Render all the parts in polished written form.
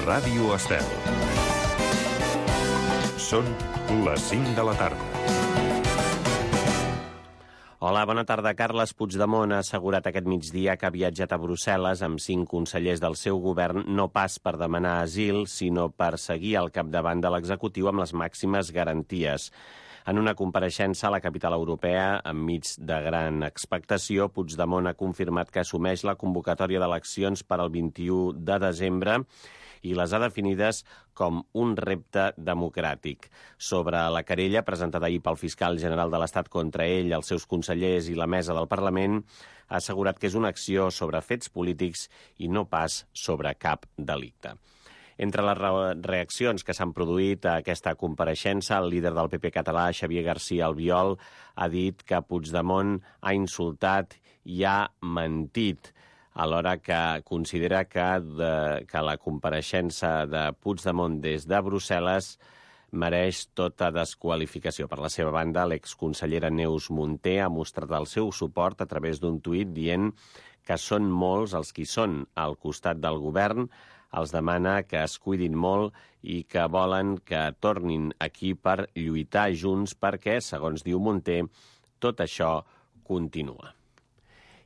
Ràdio Estel. Són les 5 de la tarda. Hola, bona tarda. Carles Puigdemont ha assegurat aquest migdia que ha viatjat a Brussel·les amb 5 consellers del seu govern, no pas per demanar asil, sinó per seguir al capdavant de l'executiu amb les màximes garanties. En una compareixença a la capital europea, enmig de gran expectació, Puigdemont ha confirmat que assumeix la convocatòria d'eleccions per al 21 de desembre i les ha definides com un repte democràtic. Sobre la querella presentada ahir pel fiscal general de l'Estat contra ell, els seus consellers i la mesa del Parlament, ha assegurat que és una acció sobre fets polítics i no pas sobre cap delicte. Entre les reaccions que s'han produït a aquesta compareixença, el líder del PP català, Xavier García Albiol, ha dit que Puigdemont ha insultat i ha mentit, alhora que considera que la compareixença de Puigdemont des de Brussel·les mereix tota desqualificació. Per la seva banda, l'exconsellera Neus Munté ha mostrat el seu suport a través d'un tuit dient que són molts els qui són al costat del govern, els demana que es cuidin molt i que volen que tornin aquí per lluitar junts perquè, segons diu Munté, tot això continua.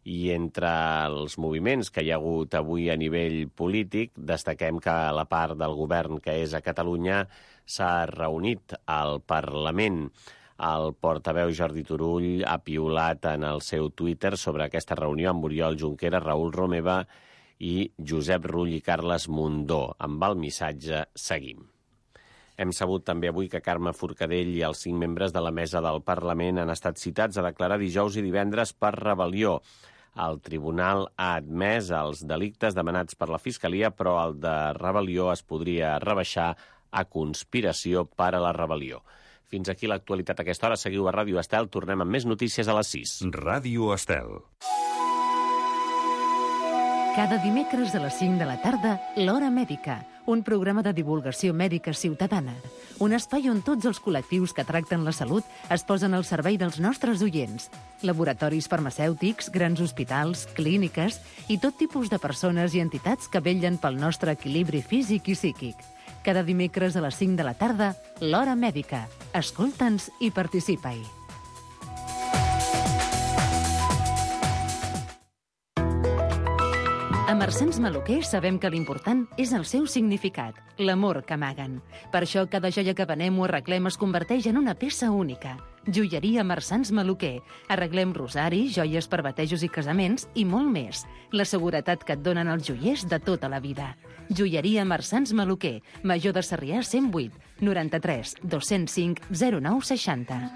I entre els moviments que hi ha hagut avui a nivell polític, destaquem que la part del govern que és a Catalunya s'ha reunit al Parlament. El portaveu Jordi Turull ha piulat en el seu Twitter sobre aquesta reunió amb Oriol Junqueras, Raül Romeva i Josep Rull i Carles Mundó. Amb el missatge seguim. Hem sabut també avui que Carme Forcadell i els 5 membres de la mesa del Parlament han estat citats a declarar dijous i divendres per rebel·lió. El tribunal ha admès els delictes demanats per la Fiscalia, però el de rebel·lió es podria rebaixar a conspiració per a la rebel·lió. Fins aquí l'actualitat a aquesta hora. Seguiu a Ràdio Estel. Tornem amb més notícies a les 6. Ràdio Estel. Cada dimecres a les 5 de la tarda, L'Hora Mèdica, un programa de divulgació mèdica ciutadana. Un espai on tots els col·lectius que tracten la salut es posen al servei dels nostres oients. Laboratoris farmacèutics, grans hospitals, clíniques i tot tipus de persones i entitats que vetllen pel nostre equilibri físic i psíquic. Cada dimecres a les 5 de la tarda, L'Hora Mèdica. Escolta'ns i participa-hi. A Marsans Maluquer sabem que l'important és el seu significat, l'amor que amaguen. Per això cada joia que venem o arreglem es converteix en una peça única. Joieria Marsans Maluquer. Arreglem rosaris, joies per batejos i casaments i molt més. La seguretat que et donen els joiers de tota la vida. Joieria Marsans Maluquer. Major de Sarrià 108 93 205 0960.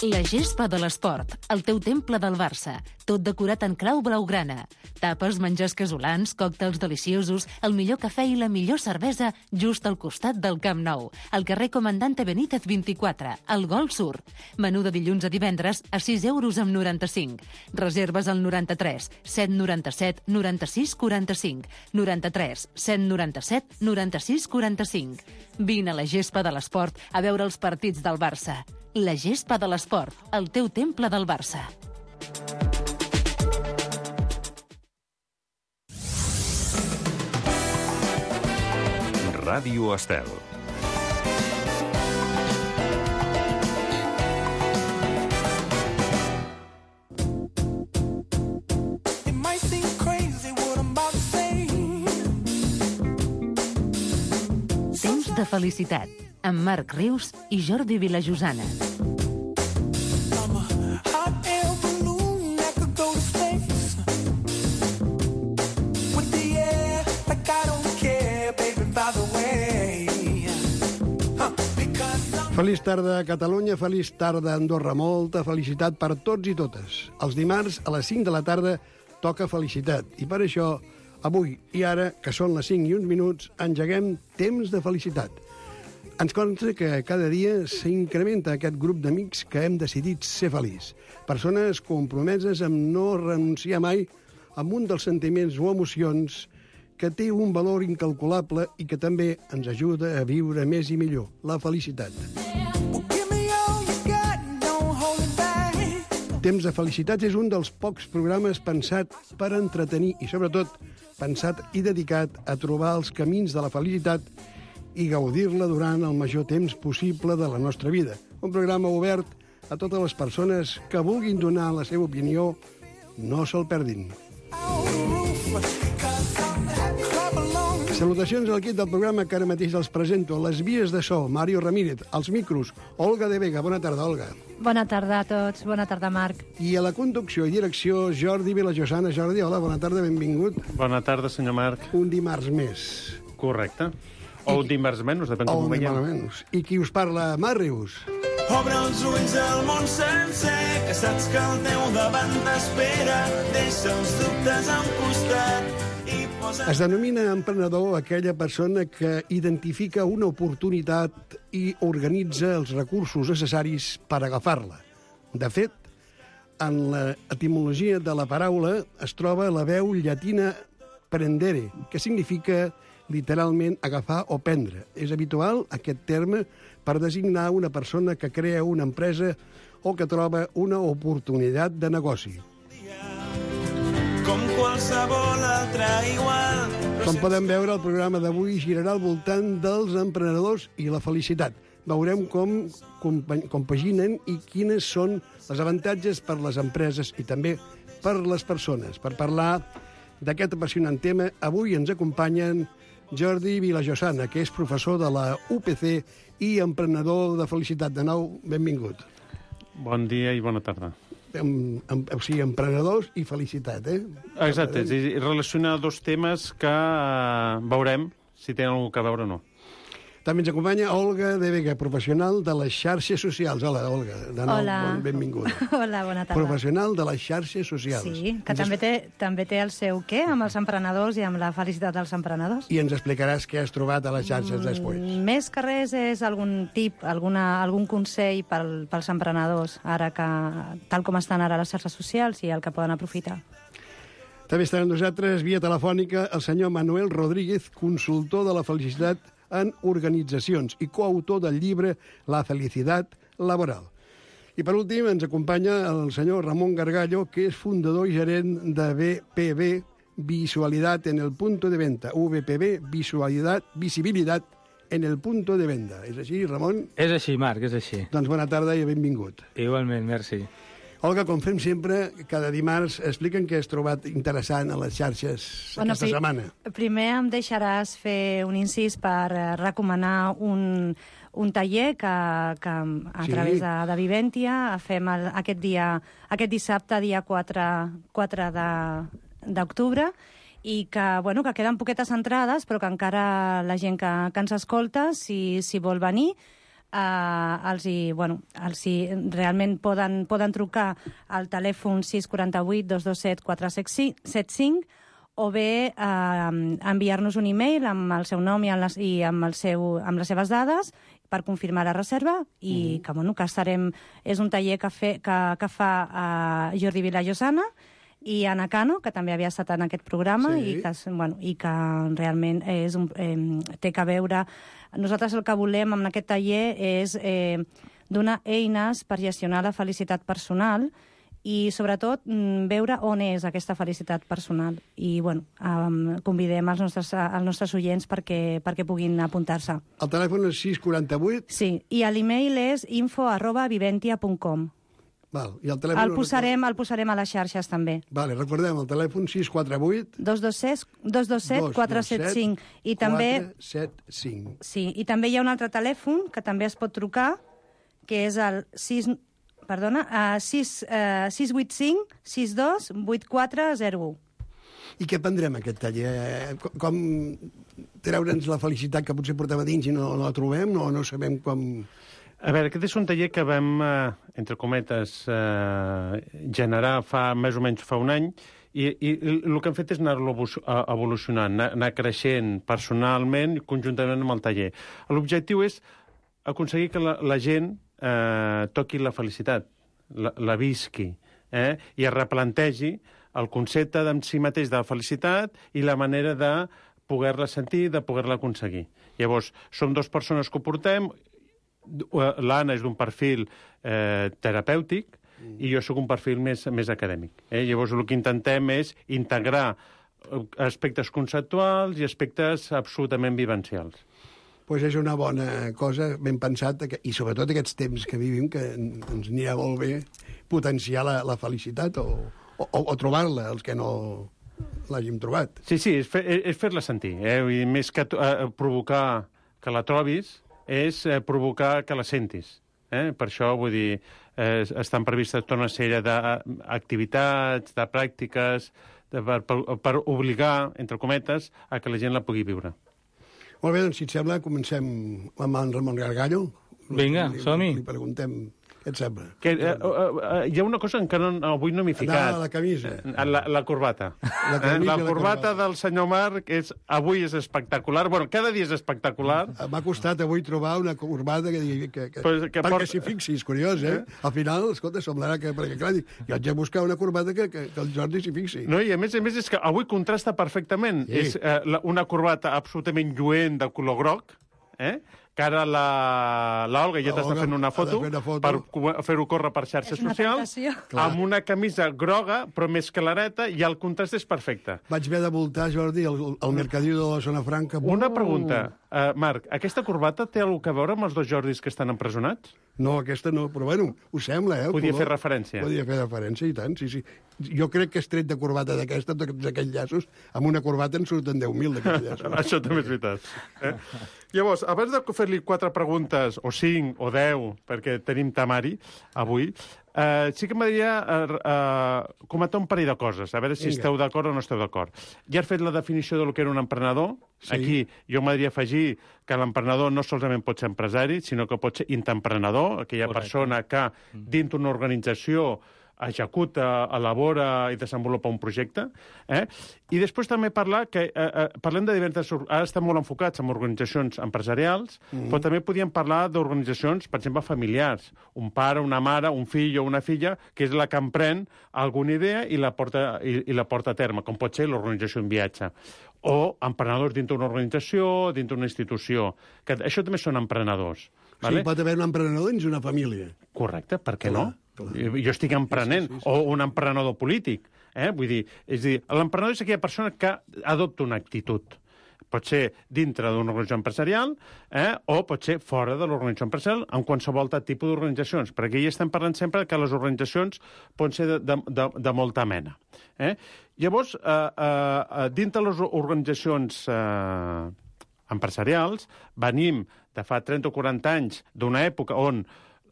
La gespa de l'esport, el teu temple del Barça, tot decorat en clau blaugrana. Tapes, menjars casolans, còctels deliciosos, el millor cafè i la millor cervesa just al costat del Camp Nou, al carrer Comandante Benítez 24, al Gol Sur. Menú de dilluns a divendres a 6,95 €. Reserves al 93 797 96 45, 93 797 96 45. Vine a la gespa de l'esport a veure els partits del Barça. La gespa de l'esport, el teu temple del Barça. Ràdio Estel. Temps de felicitat, amb Marc Rius i Jordi Vilajosana. Feliç tarda a Catalunya, feliç tarda a Andorra. Molta felicitat per tots i totes. Els dimarts a les 5 de la tarda toca felicitat. I per això, avui i ara, que són les 5 i uns minuts, engeguem Temps de felicitat. Ens consta que cada dia s'incrementa aquest grup d'amics que hem decidit ser feliç. Persones compromeses amb no renunciar mai a un dels sentiments o emocions que té un valor incalculable i que també ens ajuda a viure més i millor, la felicitat. Temps de Felicitats és un dels pocs programes pensat per entretenir i, sobretot, pensat i dedicat a trobar els camins de la felicitat i gaudir-la durant el major temps possible de la nostra vida. Un programa obert a totes les persones que vulguin donar la seva opinió. No se'l perdin. Salutacions a l'equip del programa que ara mateix els presento. Les vies de so, Mario Ramírez. Els micros, Olga de Vega. Bona tarda, Olga. Bona tarda a tots. Bona tarda, Marc. I a la conducció i direcció, Jordi Vilajosana. Jordi, hola, bona tarda, benvingut. Bona tarda, senyor Marc. Un dimarts més. Correcte. O un dimarts menys, depèn com ho veiem. Menys. I qui us parla? Màrius. Obre els ulls al món sencer, que saps que el teu davant t'espera. Deixa els dubtes a un costat i posa... Es denomina emprenedor aquella persona que identifica una oportunitat i organitza els recursos necessaris per agafar-la. De fet, en l'etimologia de la paraula es troba la veu llatina prendere, que significa literalment agafar o prendre. És habitual aquest terme per designar una persona que crea una empresa o que troba una oportunitat de negoci. Com qualsevol altre igual. Com podem veure, el programa d'avui girarà al voltant dels emprenedors i la felicitat. Veurem com compaginen i quines són els avantatges per les empreses i també per les persones. Per parlar d'aquest apassionant tema, avui ens acompanyen Jordi Vilajosana, que és professor de la UPC i emprenedor de felicitat. De nou, benvingut. Bon dia i bona tarda. O sigui, emprenedors i felicitat, eh? Exacte, és relacionar dos temes que veurem si tenen alguna cosa a veure o no. També ens acompanya Olga de Vega, professional de les xarxes socials. Hola, Olga. De nou, Hola. Benvinguda. Hola, bona tarda. Professional de les xarxes socials. Sí, que també té el seu què amb els emprenedors i amb la felicitat dels emprenedors. I ens explicaràs què has trobat a les xarxes després. Més que res és algun tip, algun consell pels emprenedors, ara que, tal com estan ara les xarxes socials i el que poden aprofitar. També estarà amb nosaltres, via telefònica, el senyor Manuel Rodríguez, consultor de la felicitat en organitzacions i coautor del llibre La felicitat laboral. I per últim ens acompanya el senyor Ramon Gargallo, que és fundador i gerent de VPB, Visualidad en el punto de venta. VPB, visibilitat en el punto de venda. És així, Ramon? És així, Marc, és així. Doncs bona tarda i benvingut. Igualment, merci. Olga, com fem sempre, cada dimarts expliquen què has trobat interessant a les xarxes aquesta setmana. Primer em deixaràs fer un incís per recomanar un taller que a través de Viventia fem aquest dissabte, dia 4 d'octubre, i que queden poquetes entrades, però que encara la gent que ens escolta, si vol venir, realment poden trucar al telèfon 648 227 475 o bé enviar-nos un e-mail amb el seu nom i amb les seves dades per confirmar la reserva i que estarem... És un taller que fa Jordi Vilajosana i Anna Cano, que també havia estat en aquest programa, i que realment té que veure... Nosaltres el que volem amb aquest taller és donar eines per gestionar la felicitat personal i, sobretot, veure on és aquesta felicitat personal. I, convidem els nostres oients perquè puguin apuntar-se. El telèfon és 648? Sí, i l'e-mail és info@viventia.com. I el telèfon... El posarem a les xarxes, també. Recordem, el telèfon 648... 227 475. I també... 475. Sí, i també hi ha un altre telèfon que també es pot trucar, que és el 685 62 8401. I què prendrem, aquest taller? Com treure'ns la felicitat que potser portem a dins i no la trobem? No sabem com... A veure, aquest és un taller que vam, entre cometes, generar més o menys fa un any, i el que hem fet és anar-lo evolucionant, anar creixent personalment i conjuntament amb el taller. L'objectiu és aconseguir que la gent toqui la felicitat, la visqui, i es replantegi el concepte en si mateix de la felicitat i la manera de poder-la sentir, de poder-la aconseguir. Llavors, som dues persones que ho portem. L'Anna és d'un perfil terapèutic i jo sóc un perfil més acadèmic. Llavors, el que intentem és integrar aspectes conceptuals i aspectes absolutament vivencials. Pues és una bona cosa, ben pensat, i sobretot aquests temps que vivim, que ens anirà molt bé potenciar la felicitat o trobar-la, els que no l'hàgim trobat. Sí, és fer-la sentir. I més que provocar que la trobis, és provocar que la sentis. Per això, vull dir, estan previstes tota una sèrie d'activitats, de pràctiques, per obligar, entre cometes, a que la gent la pugui viure. Molt bé, doncs, si et sembla, comencem amb en Ramon Gargallo. Vinga, som-hi. Li preguntem què et sembla. Hi ha una cosa que avui no m'he ficat. La camisa. La corbata. La corbata del senyor Marc avui és espectacular. Bueno, cada dia és espectacular. M'ha costat avui trobar una corbata perquè s'hi fixi, és curiós, Al final, escolta, semblarà que... Perquè, clar, jo haig de buscar una corbata que el Jordi s'hi fixi. No, i a més és que avui contrasta perfectament. Sí. És una corbata absolutament lluent de color groc, que ara l'Olga ja t'està fent una foto per fer-ho córrer per xarxes socials, amb una camisa groga, però més clareta, i el contrast és perfecte. Vaig haver de voltar, Jordi, al mercadillo de la Zona Franca. Una pregunta, Marc, aquesta corbata té alguna cosa a veure amb els dos Jordis que estan empresonats? No, aquesta no, però bueno, ho sembla, Podia fer referència. Podia fer referència, i tant, sí. Jo crec que és tret de corbata d'aquesta, d'aquells llaços, amb una corbata en surten 10.000 d'aquells llaços. Això també és veritat. Llavors, abans de fer-li 4 preguntes, o 5, o 10, perquè tenim temari avui, sí que m'agradaria comentar un parell de coses, a veure si esteu d'acord o no esteu d'acord. Ja has fet la definició del que era un emprenedor. Sí. Aquí jo m'agradaria afegir que l'emprenedor no solament pot ser empresari, sinó que pot ser intraemprenedor, aquella persona que dins d'una organització executa, elabora i desenvolupa un projecte. I després també parlem de diverses... Ara estem molt enfocats en organitzacions empresarials, però també podíem parlar d'organitzacions, per exemple, familiars. Un pare, una mare, un fill o una filla, que és la que emprèn alguna idea i la porta a terme, com pot ser l'organització en viatge. O emprenedors dintre d'una organització, dintre d'una institució. Que això també són emprenedors. Sí, pot haver un emprenedor dins una família. Correcte, per què no? Jo estic emprenent, sí. O un emprenedor polític. Vull dir, l'emprenedor és aquella persona que adopta una actitud. Pot ser dintre d'una organització empresarial o pot ser fora de l'organització empresarial en qualsevol tipus d'organitzacions. Perquè aquí estem parlant sempre que les organitzacions poden ser de molta mena. Llavors, dintre les organitzacions empresarials, venim de fa 30 o 40 anys d'una època on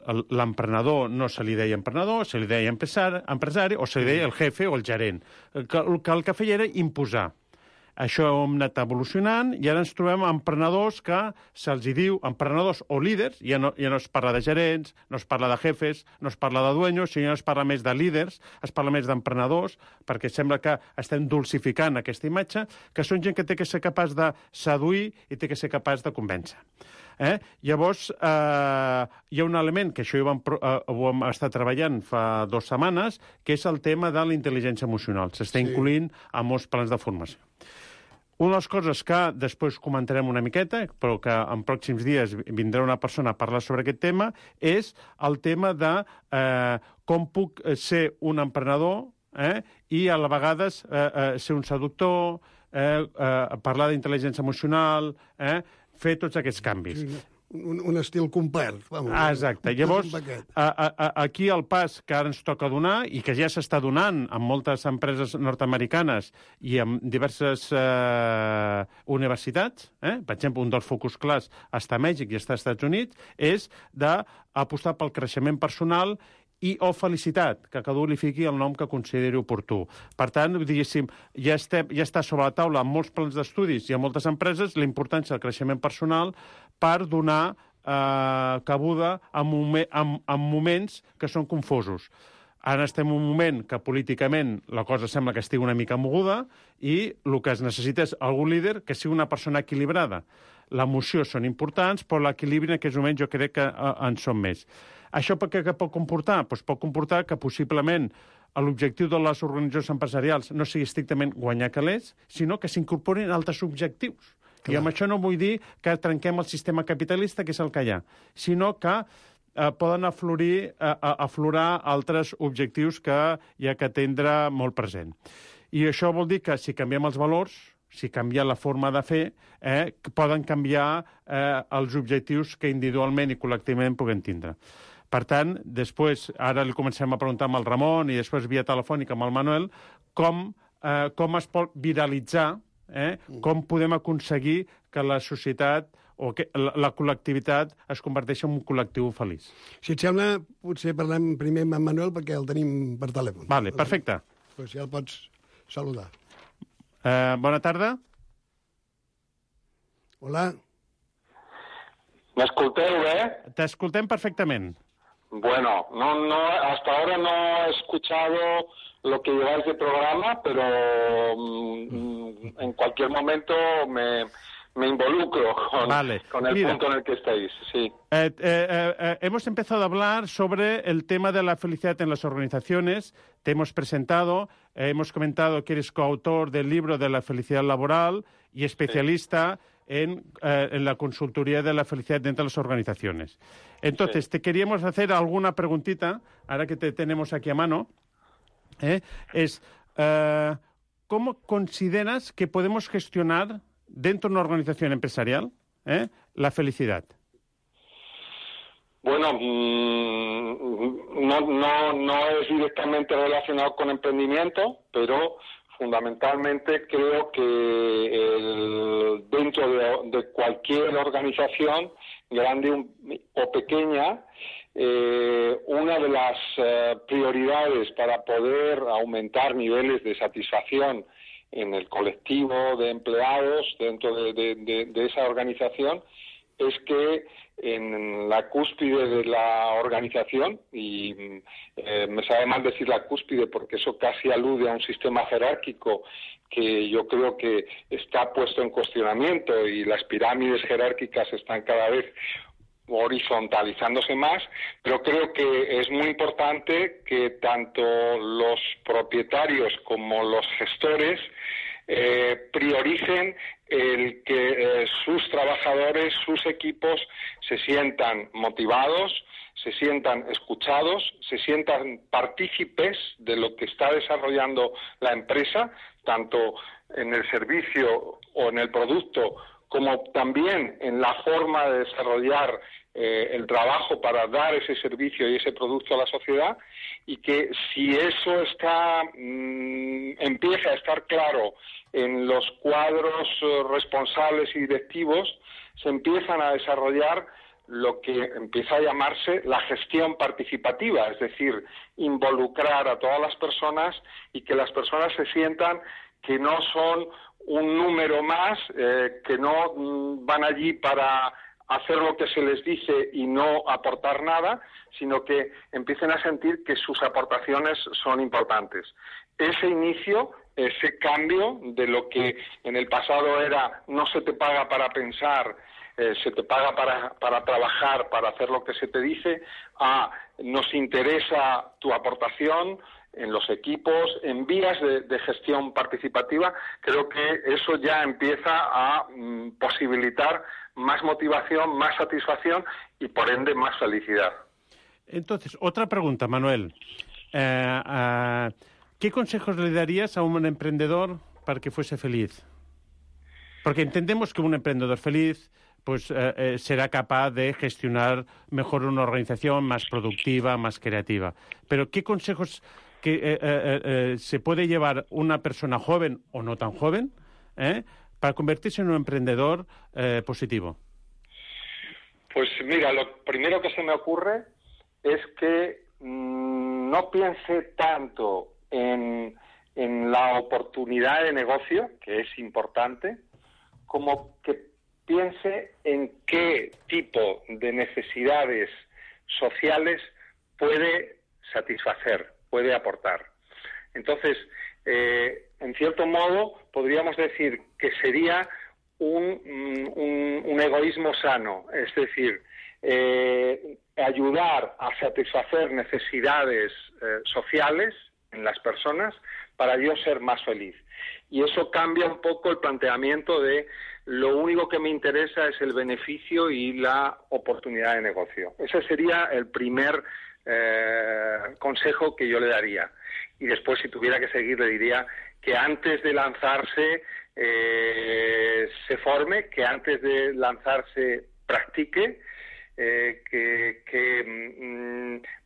l'emprenedor no se li deia emprenedor, se li deia empresari o se li deia el jefe o el gerent, que el que feia era imposar. Això hem anat evolucionant i ara ens trobem emprenedors que se'ls diu emprenedors o líders, ja no es parla de gerents, no es parla de jefes, no es parla de dueños, sinó es parla més de líders, es parla més d'emprenedors, perquè sembla que estem dulcificant aquesta imatge, que són gent que té que ser capaç de seduir i té que ser capaç de convèncer. Llavors, hi ha un element que això ho hem estat treballant fa 2 setmanes, que és el tema de la intel·ligència emocional. S'està incloent a molts plans de formació. Una de les coses que després comentarem una miqueta, però que en pròxims dies vindrà una persona a parlar sobre aquest tema, és el tema de com puc ser un emprenedor i a la vegada ser un seductor, parlar d'intel·ligència emocional, fer tots aquests canvis. Un estil complet. Exacte. Llavors, aquí el pas que ara ens toca donar i que ja s'està donant en moltes empreses nord-americanes i en diverses universitats, per exemple, un dels focus clars està a Mèxic i està als Estats Units, és d'apostar pel creixement personal o felicitat, que cada un li fiqui el nom que consideri oportú. Per tant, diguéssim, ja està sobre la taula en molts plans d'estudis i en moltes empreses la importància del creixement personal per donar cabuda en moments que són confosos. Ara estem en un moment que políticament la cosa sembla que estigui una mica moguda i el que es necessita és algun líder que sigui una persona equilibrada. L'emoció són importants, però l'equilibri en aquests moments jo crec que en són més. Això què pot comportar? Doncs pot comportar que possiblement l'objectiu de les organitzacions empresarials no sigui estrictament guanyar calés, sinó que s'incorporin altres objectius. Clar. I amb això no vull dir que trenquem el sistema capitalista, que és el que hi ha, sinó que poden aflorar altres objectius que hi ha que tindre molt present. I això vol dir que si canviem els valors, si canvia la forma de fer, poden canviar els objectius que individualment i col·lectivament puguem tindre. Per tant, després, ara li comencem a preguntar amb el Ramon i després via telefònica amb el Manuel, com es pot viralitzar, com podem aconseguir que la societat o que la col·lectivitat es converteixi en un col·lectiu feliç. Si et sembla, potser parlem primer amb en Manuel perquè el tenim per telèfon. Vale, perfecte. Pues ja el pots saludar. Bona tarda. Hola. ¿Me bé? T'escoltem perfectament. Bueno, hasta ahora no he escuchado lo que lleváis de programa, pero en cualquier momento me involucro con el punto en el que estáis. Sí. Hemos empezado a hablar sobre el tema de la felicidad en las organizaciones. Te hemos presentado, hemos comentado que eres coautor del libro de la felicidad laboral y especialista en la consultoría de la felicidad dentro de las organizaciones. Entonces, te queríamos hacer alguna preguntita, ahora que te tenemos aquí a mano. ¿Cómo consideras que podemos gestionar dentro de una organización empresarial la felicidad? Bueno, no es directamente relacionado con emprendimiento, pero fundamentalmente creo que dentro de cualquier organización, grande o pequeña, una de las prioridades para poder aumentar niveles de satisfacción en el colectivo de empleados dentro de esa organización es que en la cúspide de la organización, y me sabe mal decir la cúspide porque eso casi alude a un sistema jerárquico que yo creo que está puesto en cuestionamiento y las pirámides jerárquicas están cada vez horizontalizándose más, pero creo que es muy importante que tanto los propietarios como los gestores prioricen el que sus trabajadores, sus equipos se sientan motivados, se sientan escuchados, se sientan partícipes de lo que está desarrollando la empresa, tanto en el servicio o en el producto, como también en la forma de desarrollar el trabajo para dar ese servicio y ese producto a la sociedad, y que si eso empieza a estar claro en los cuadros responsables y directivos, se empiezan a desarrollar lo que empieza a llamarse la gestión participativa, es decir, involucrar a todas las personas y que las personas se sientan que no son un número más, que no van allí para hacer lo que se les dice y no aportar nada, sino que empiecen a sentir que sus aportaciones son importantes. Ese inicio, ese cambio de lo que en el pasado era no se te paga para pensar, se te paga para trabajar, para hacer lo que se te dice, a nos interesa tu aportación en los equipos, en vías de gestión participativa, creo que eso ya empieza a posibilitar más motivación, más satisfacción y, por ende, más felicidad. Entonces, otra pregunta, Manuel. ¿Qué consejos le darías a un emprendedor para que fuese feliz? Porque entendemos que un emprendedor feliz pues será capaz de gestionar mejor una organización más productiva, más creativa. Pero ¿qué consejos que se puede llevar una persona joven o no tan joven para convertirse en un emprendedor positivo? Pues mira, lo primero que se me ocurre es que no piense tanto en la oportunidad de negocio, que es importante, como que piense en qué tipo de necesidades sociales puede satisfacer, puede aportar. Entonces, en cierto modo, podríamos decir que sería un egoísmo sano, es decir, ayudar a satisfacer necesidades sociales en las personas para yo ser más feliz. Y eso cambia un poco el planteamiento de lo único que me interesa es el beneficio y la oportunidad de negocio. Ese sería el primer consejo que yo le daría. Y después, si tuviera que seguir, le diría que antes de lanzarse se forme, que antes de lanzarse practique, que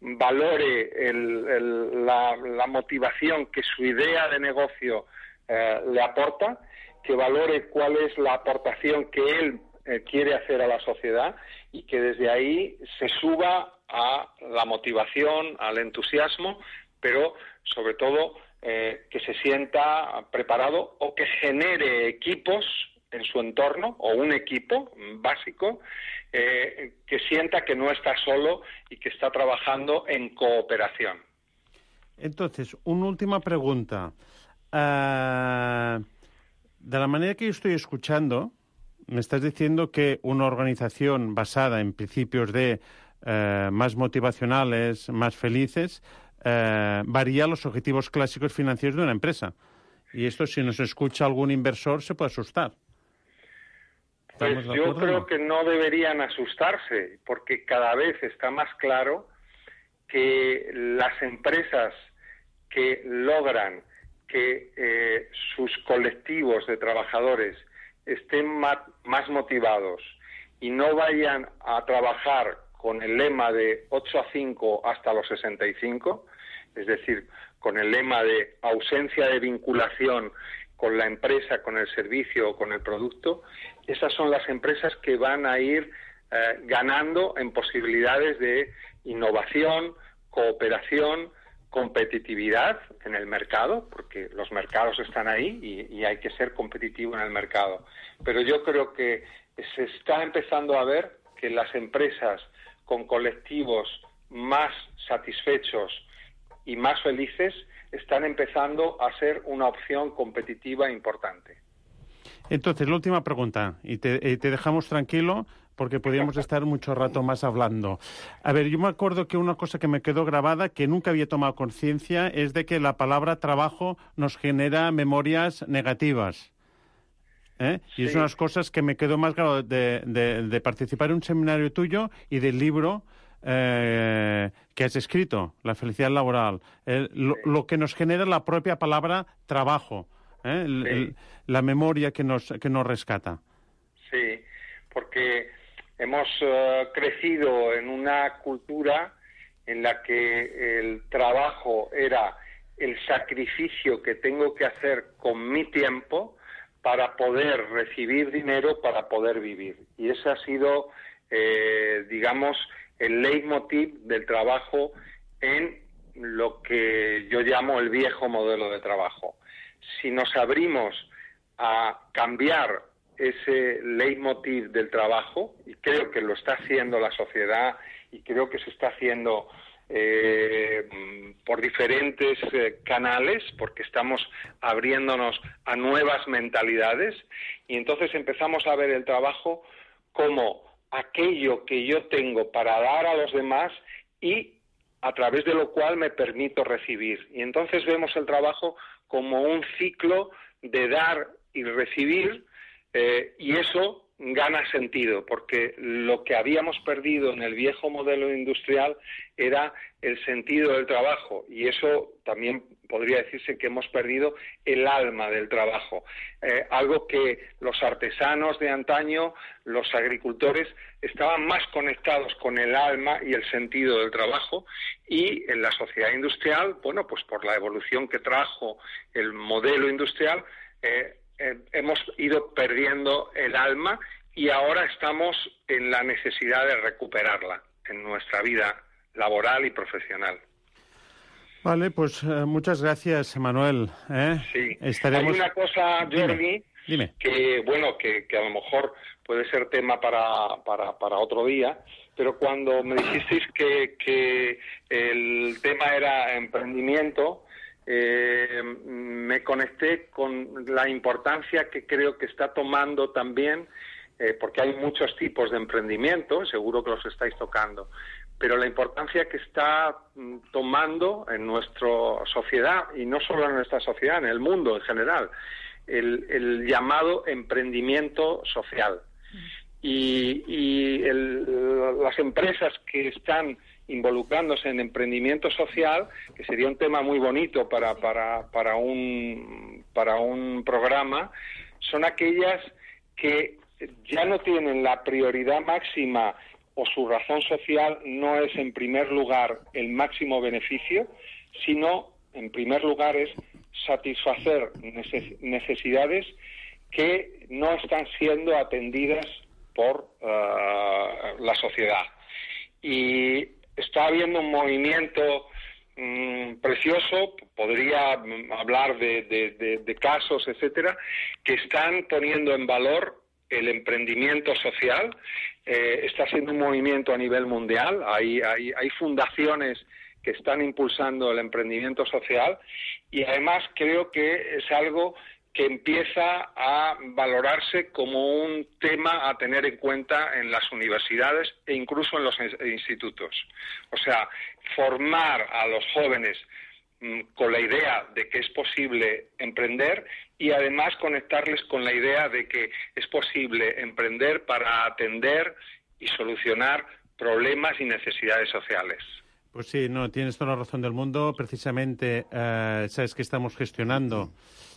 valore la motivación que su idea de negocio le aporta, que valore cuál es la aportación que él quiere hacer a la sociedad y que desde ahí se suba a la motivación, al entusiasmo, pero sobre todo que se sienta preparado o que genere equipos en su entorno o un equipo básico que sienta que no está solo y que está trabajando en cooperación. Entonces, una última pregunta. De la manera que yo estoy escuchando, me estás diciendo que una organización basada en principios de más motivacionales, más felices, varía los objetivos clásicos financieros de una empresa. Y esto, si nos escucha algún inversor, se puede asustar. Pues yo creo que no deberían asustarse, porque cada vez está más claro que las empresas que logran que sus colectivos de trabajadores estén más motivados y no vayan a trabajar con el lema de 8 a 5 hasta los 65, es decir, con el lema de ausencia de vinculación con la empresa, con el servicio o con el producto, esas son las empresas que van a ir ganando en posibilidades de innovación, cooperación, competitividad en el mercado, porque los mercados están ahí y hay que ser competitivo en el mercado. Pero yo creo que se está empezando a ver que las empresas con colectivos más satisfechos y más felices están empezando a ser una opción competitiva importante. Entonces, la última pregunta, y te dejamos tranquilo porque podríamos estar mucho rato más hablando. A ver, yo me acuerdo que una cosa que me quedó grabada, que nunca había tomado conciencia, es de que la palabra trabajo nos genera memorias negativas. Sí. Y es una de las cosas que me quedó más grabado de participar en un seminario tuyo y del libro que has escrito, La felicidad laboral, lo que nos genera la propia palabra trabajo, la memoria que nos rescata. Sí, porque hemos crecido en una cultura en la que el trabajo era el sacrificio que tengo que hacer con mi tiempo para poder recibir dinero, para poder vivir. Y ese ha sido, digamos, el leitmotiv del trabajo en lo que yo llamo el viejo modelo de trabajo. Si nos abrimos a cambiar ese leitmotiv del trabajo, y creo que lo está haciendo la sociedad y creo que se está haciendo por diferentes canales, porque estamos abriéndonos a nuevas mentalidades, y entonces empezamos a ver el trabajo como aquello que yo tengo para dar a los demás y a través de lo cual me permito recibir. Y entonces vemos el trabajo como un ciclo de dar y recibir, y eso gana sentido, porque lo que habíamos perdido en el viejo modelo industrial era el sentido del trabajo, y eso también podría decirse que hemos perdido el alma del trabajo, algo que los artesanos de antaño, los agricultores, estaban más conectados con el alma y el sentido del trabajo, y en la sociedad industrial, bueno, pues por la evolución que trajo el modelo industrial, hemos ido perdiendo el alma y ahora estamos en la necesidad de recuperarla en nuestra vida laboral y profesional. Vale, pues muchas gracias, Manuel. Sí. Estaremos... Hay una cosa, Jordi, Dime. que bueno, que a lo mejor puede ser tema para otro día, pero cuando me dijisteis que el tema era emprendimiento, me conecté con la importancia que creo que está tomando también, porque hay muchos tipos de emprendimiento, seguro que los estáis tocando, pero la importancia que está tomando en nuestra sociedad, y no solo en nuestra sociedad, en el mundo en general, el llamado emprendimiento social. Y las empresas que están involucrándose en emprendimiento social, que sería un tema muy bonito para un programa, son aquellas que ya no tienen la prioridad máxima o su razón social no es en primer lugar el máximo beneficio, sino en primer lugar es satisfacer necesidades que no están siendo atendidas por la sociedad. Y está habiendo un movimiento precioso, podría hablar de casos, etcétera, que están poniendo en valor el emprendimiento social. Está siendo un movimiento a nivel mundial, hay fundaciones que están impulsando el emprendimiento social y además creo que es algo que empieza a valorarse como un tema a tener en cuenta en las universidades e incluso en los institutos. O sea, formar a los jóvenes con la idea de que es posible emprender y además conectarles con la idea de que es posible emprender para atender y solucionar problemas y necesidades sociales. Pues sí, no, tienes toda la razón del mundo. Precisamente, sabes que estamos gestionando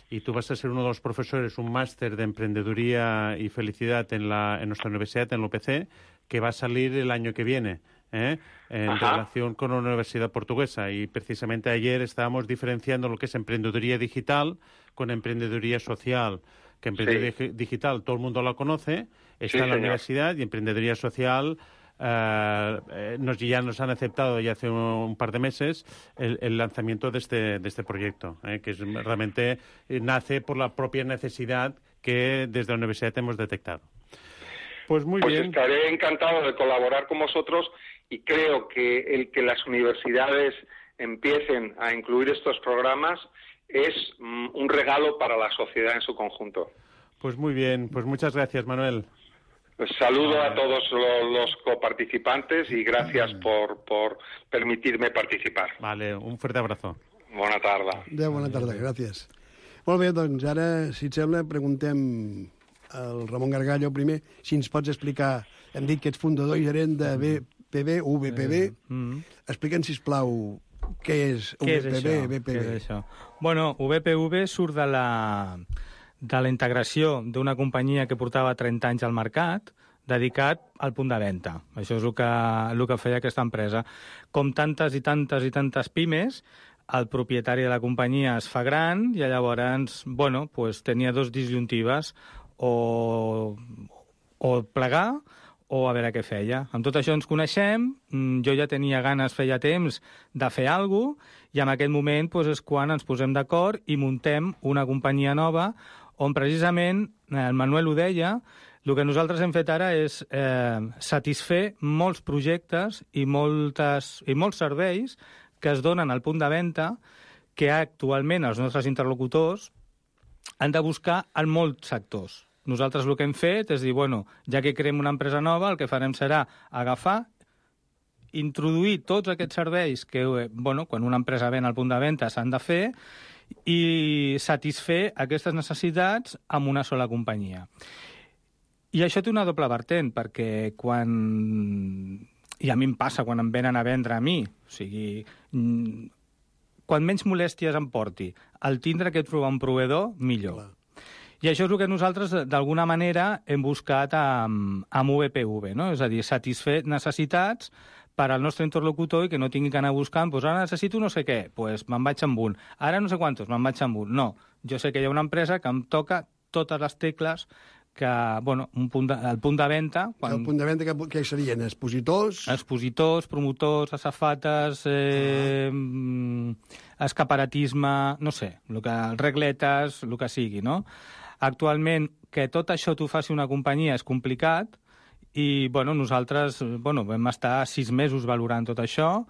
y tú vas a ser uno de los profesores, un máster de emprendeduría y felicidad en nuestra universidad, en la UPC, que va a salir el año que viene, en relación con la Universidad Portuguesa. Y precisamente ayer estábamos diferenciando lo que es emprendeduría digital con emprendeduría social. Que emprendeduría digital todo el mundo la conoce, está en la universidad, y emprendeduría social ya nos han aceptado ya hace un par de meses el lanzamiento de este proyecto, que realmente nace por la propia necesidad que desde la universidad hemos detectado. Pues muy bien. Estaré encantado de colaborar con vosotros y creo que el que las universidades empiecen a incluir estos programas es un regalo para la sociedad en su conjunto. Pues muy bien, pues muchas gracias, Manuel. Pues saludo a todos los coparticipantes y gracias por permitirme participar. Vale, un fuerte abrazo. Bona tarda. Bona tarda, gràcies. Molt bé, doncs ara, si et sembla, preguntem al Ramon Gargallo primer si ens pots explicar, hem dit que ets fundador i gerent de VPB. Explica'ns, sisplau, què és VPB? Què és això? Bueno, VPV surt de la integració d'una companyia que portava 30 anys al mercat dedicat al punt de venda. Això és el que feia aquesta empresa. Com tantes i tantes pimes, el propietari de la companyia es fa gran i llavors, tenia dos disjuntives, o plegar o a veure què feia. Amb tot això ens coneixem, jo ja tenia ganes, feia temps, de fer alguna cosa, i en aquest moment és quan ens posem d'acord i muntem una companyia nova on precisament, el Manuel ho deia, el que nosaltres hem fet ara és satisfer molts projectes i molts serveis que es donen al punt de venda que actualment els nostres interlocutors han de buscar en molts sectors. Nosaltres el que hem fet és dir, ja que creem una empresa nova, el que farem serà agafar, introduir tots aquests serveis que, quan una empresa ven al punt de venda s'han de fer i satisfer aquestes necessitats amb una sola companyia. I això té una doble vertent, perquè i a mi em passa quan em venen a vendre a mi, o sigui, quan menys molèsties em porti, el tindre que trobar un proveedor, millor. Clar. I això és el que nosaltres, d'alguna manera, hem buscat amb VPV, no? És a dir, satisfer necessitats per al nostre interlocutor i que no tingui que anar buscant, ara necessito no sé què, me'n vaig amb un. Ara no sé quantos, me'n vaig amb un. No, jo sé que hi ha una empresa que em toca totes les tecles que, el punt de venda... El punt de venda què serien? Expositors? Expositors, promotors, asafates, escaparatisme, no sé, regletes, el que sigui, no? Actualment, que tot això t'ho faci una companyia és complicat i nosaltres vam estar 6 mesos valorant tot això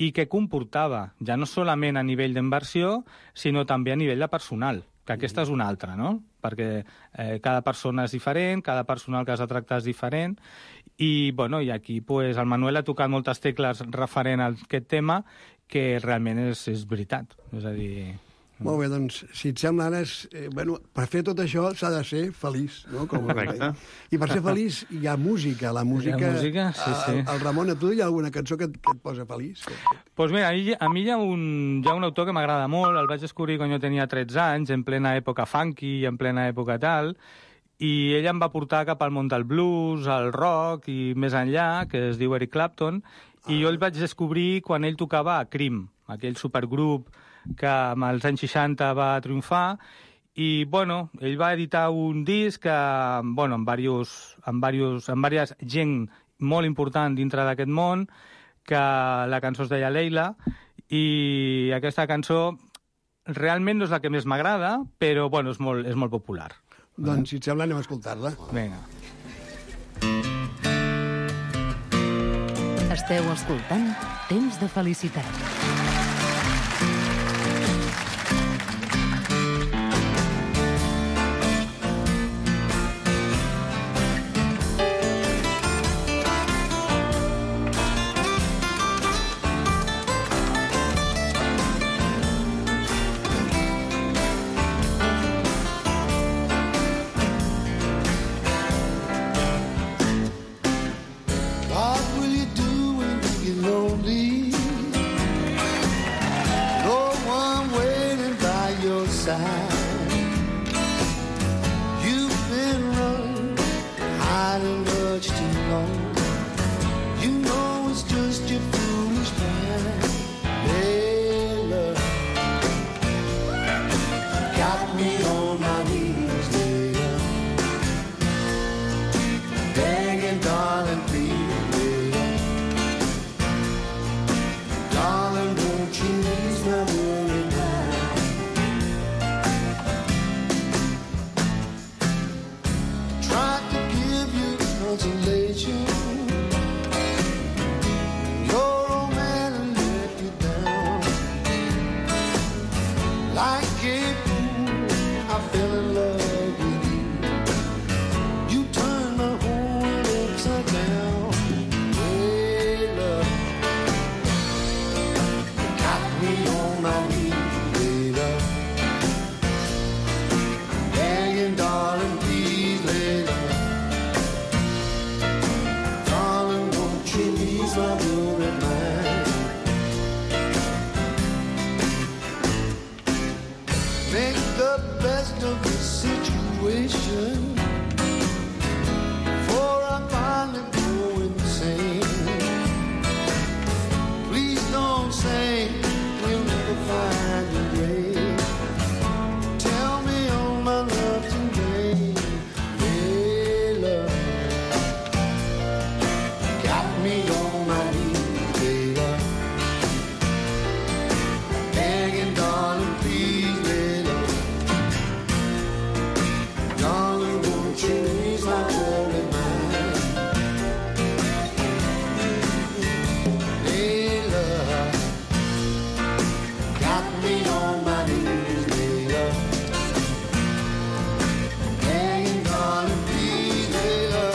i què comportava, ja no solament a nivell d'inversió, sinó també a nivell de personal, que aquesta és una altra, no? Perquè cada persona és diferent, cada personal que has de tractar és diferent i aquí el Manuel ha tocat moltes tecles referent a aquest tema que realment és veritat, és a dir... Molt bé, doncs, si et sembla, ara, per fer tot això s'ha de ser feliç, no? Correcte. I per ser feliç hi ha música. La música... Hi ha música, sí. El Ramon, a tu hi ha alguna cançó que et posa feliç? Doncs mira, a mi hi ha un autor que m'agrada molt, el vaig descobrir quan jo tenia 13 anys, en plena època funky i en plena època tal, i ell em va portar cap al món del blues, al rock i més enllà, que es diu Eric Clapton, i jo el vaig descobrir quan ell tocava a Cream, aquell supergrup que als anys 60 va triomfar, i, bueno, ell va editar un disc que, bueno, amb diverses gent molt important dintre d'aquest món, que la cançó es deia Leila, i aquesta cançó realment no és la que més m'agrada, però, bueno, és molt popular. Doncs, si et sembla, anem a escoltar-la. Vinga. Esteu escoltant Temps de Felicitat. What will you do when you get lonely? No one waiting by your side. You've been running, hiding much too long. You know it's just your foolish pride. Hey, love, got me on my knees, Leila, begging, darling, please. Darling, won't you ease my worried mind? Tried to give you consolation. Your old man let you down. Like a fool, I fell in love with you. You turned my whole world upside down. Hey, love, got me on my knees, Leila, begging, darling, please, Leila. Darling, won't you ease my worried mind? Make the best of the situation, for I finally go insane. Please don't say we'll never find a grave. Tell me all my love today. Hey, love, got me on my knees, Leila, begging, darling, please, Leila. Darling, won't you ease my worried mind? Leila, got me on my knees, Leila, begging, darling, please, Leila.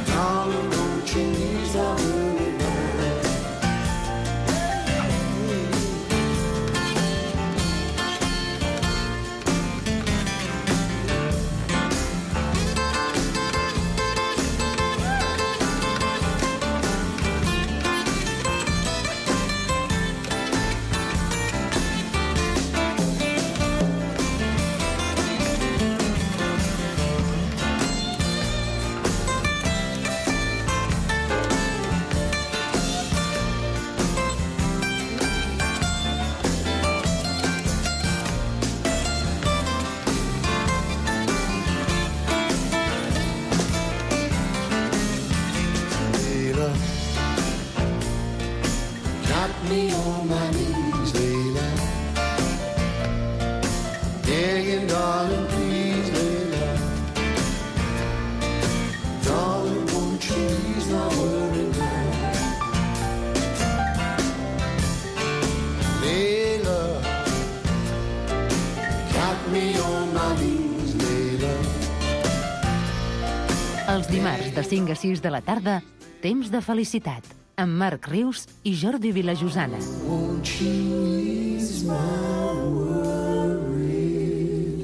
Darling, won't you ease my worried mind? Leila, got me on my knees, Leila, begging, darling, please, Leila. Darling, won't you ease my worried mind? Leila, got me on my knees, Leila. Els dimarts de 5 a 6 de la tarda, Temps de Felicitat, amb Marc Rius i Jordi Vilajosana. Won't you ease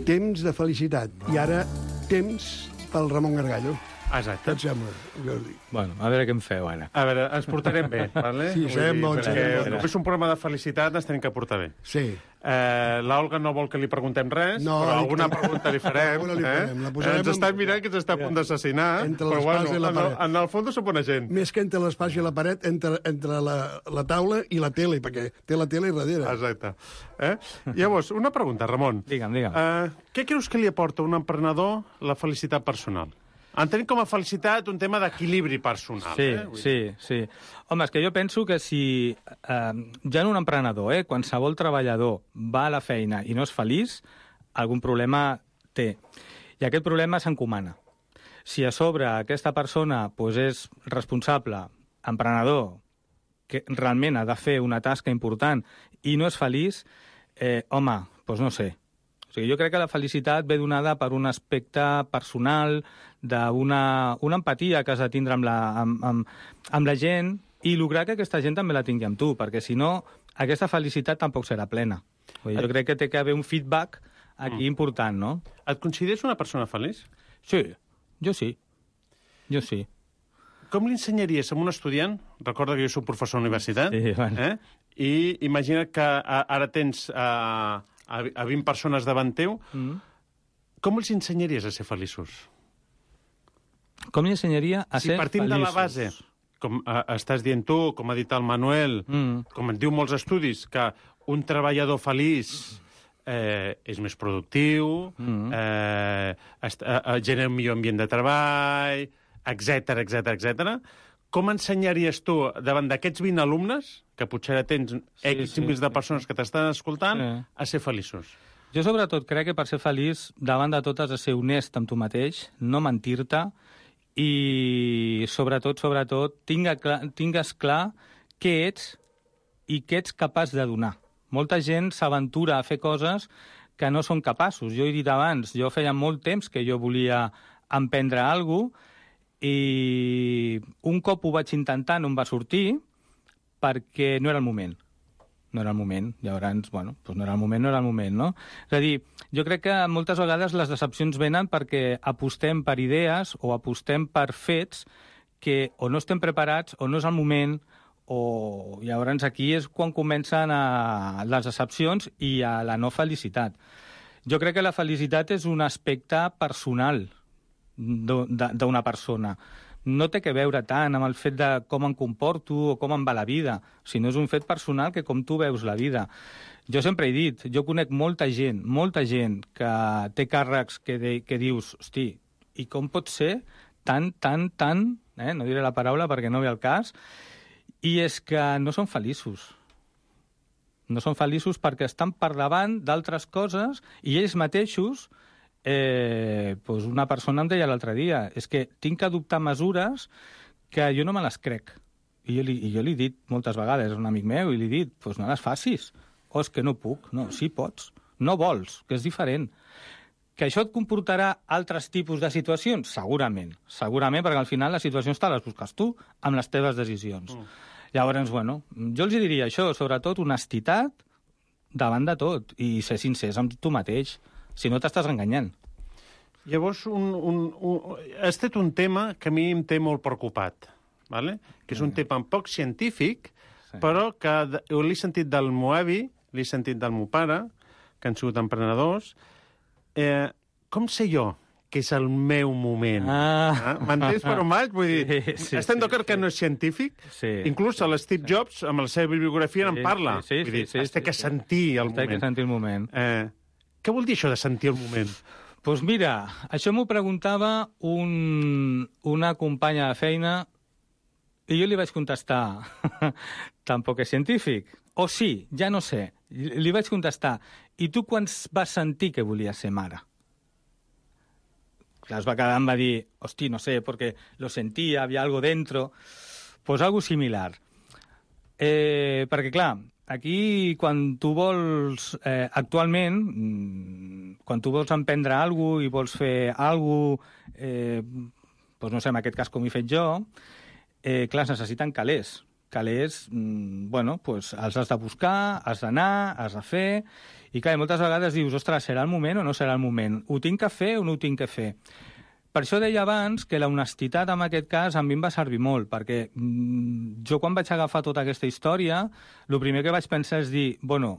Temps de felicitat. I ara, temps pel Ramon Gargallo. Exacte. Què et sembla, Jordi? Bueno, a veure què em feu ara. A veure, ens portarem bé, vale? Sí, serem bons, Perquè serem bons. com és un programa de felicitat, ens tenim que portar bé. Sí. L'Olga no vol que li preguntem res, No, però alguna pregunta li farem. Alguna li farem. La posarem Ens està en- mirant que ens està a punt d'assassinar, Entre però l'espasa i la bueno, paret. en el fons som bona gent. Més que entre l'espai i la paret, entre la taula i la tele, perquè té la tele darrere. Exacte. Llavors, una pregunta, Ramon. Digue'm. Què creus que li aporta a un emprenedor la felicitat personal? Entenem com a felicitat un tema d'equilibri personal. Sí. Home, és que jo penso que si ja en un emprenedor, qualsevol treballador va a la feina i no és feliç, algun problema té. I aquest problema s'encomana. Si a sobre aquesta persona doncs, és responsable, emprenedor, que realment ha de fer una tasca important i no és feliç, home, doncs no sé. O sigui, jo crec que la felicitat ve donada per un aspecte personal, d'una empatia que has de tindre amb la gent i lograr que aquesta gent també la tingui amb tu, perquè si no, aquesta felicitat tampoc serà plena. Vull dir, jo crec que té que haver un feedback aquí important, no? Et consideres una persona feliç? Sí, jo sí. Jo sí. Com li ensenyaries a un estudiant, recorda que jo soc professor de universitat, Sí, bueno. I imagina't que ara tens a 20 persones davant teu, com els ensenyaries a ser feliços? Com li ensenyaria a ser partint feliços? de la base, com estàs dient tu, com ha dit el Manuel, com et diu molts estudis, que un treballador feliç és més productiu, genera un millor ambient de treball, etc. Com ensenyaries tu, davant d'aquests 20 alumnes, que potser ara tens milers de persones que t'estan escoltant, a ser feliços? Jo, sobretot, crec que per ser feliç, davant de tot, has de ser honest amb tu mateix, no mentir-te, i, sobretot, tingues clar què ets i què ets capaç de donar. Molta gent s'aventura a fer coses que no són capaços. Jo he dit abans, jo feia molt temps que jo volia emprendre alguna cosa i un cop ho vaig intentar no em va sortir perquè no era el moment. No era el moment. Llavors, bueno, doncs no era el moment, no? És a dir, jo crec que moltes vegades les decepcions venen perquè apostem per idees o apostem per fets que o no estem preparats o no és el moment, o llavors aquí és quan comencen les decepcions i a la no felicitat. Jo crec que la felicitat és un aspecte personal d'una persona. No té que veure tant amb el fet de com em comporto o com em va la vida, sinó és un fet personal que com tu veus la vida. Jo sempre he dit, jo conec molta gent que té càrrecs que dius, hosti, i com pot ser tan, no diré la paraula perquè no ve al cas, i és que no són feliços. No són feliços perquè estan per davant d'altres coses i ells mateixos, doncs una persona em deia l'altre dia, és que tinc que adoptar mesures que jo no me les crec. I jo li he dit moltes vegades a un amic meu, i li he dit, doncs no les facis. O és que no puc. No, sí pots. No vols, que és diferent. Que això et comportarà altres tipus de situacions? Segurament, perquè al final les situacions te les busques tu amb les teves decisions. Llavors, bueno, jo els diria això, sobretot honestitat davant de tot i ser sincers amb tu mateix, si no t'estàs enganyant. Llavors, has tret un tema que a mi em té molt preocupat, ¿vale? Que és un tema poc científic, però que l'he sentit del meu avi, l'he sentit del meu pare, que han sigut emprenedors. Com sé jo que és el meu moment? M'entens per on vaig? Vull dir, estem d'acord que no és científic? Inclús l'Steve Jobs, amb la seva bibliografia, en parla. Vull dir, has de que sentir el moment. Has de que sentir el moment. Què vol dir això de sentir el moment? Doncs mira, això m'ho preguntava una companya de feina i jo li vaig contestar, tampoc és científic. O sí, ja no sé. Li vaig contestar, i tu quan vas sentir que volies ser mare? Clar, es va quedar, em va dir, hosti, no sé, perquè lo sentia, había algo dentro. Pues algo similar. Perquè, clar, aquí, quan tu vols, actualment, quan tu vols emprendre alguna cosa i vols fer alguna cosa, doncs no sé, en aquest cas com he fet jo, clar, es necessiten calés calés, bueno, pues els has de buscar, has d'anar, has de fer, i clar, moltes vegades dius, ostres, serà el moment o no serà el moment? Ho tinc que fer o no ho tinc que fer? Per això deia abans que la honestitat en aquest cas a mi em va servir molt, perquè jo quan vaig agafar tota aquesta història, el primer que vaig pensar és dir, bueno,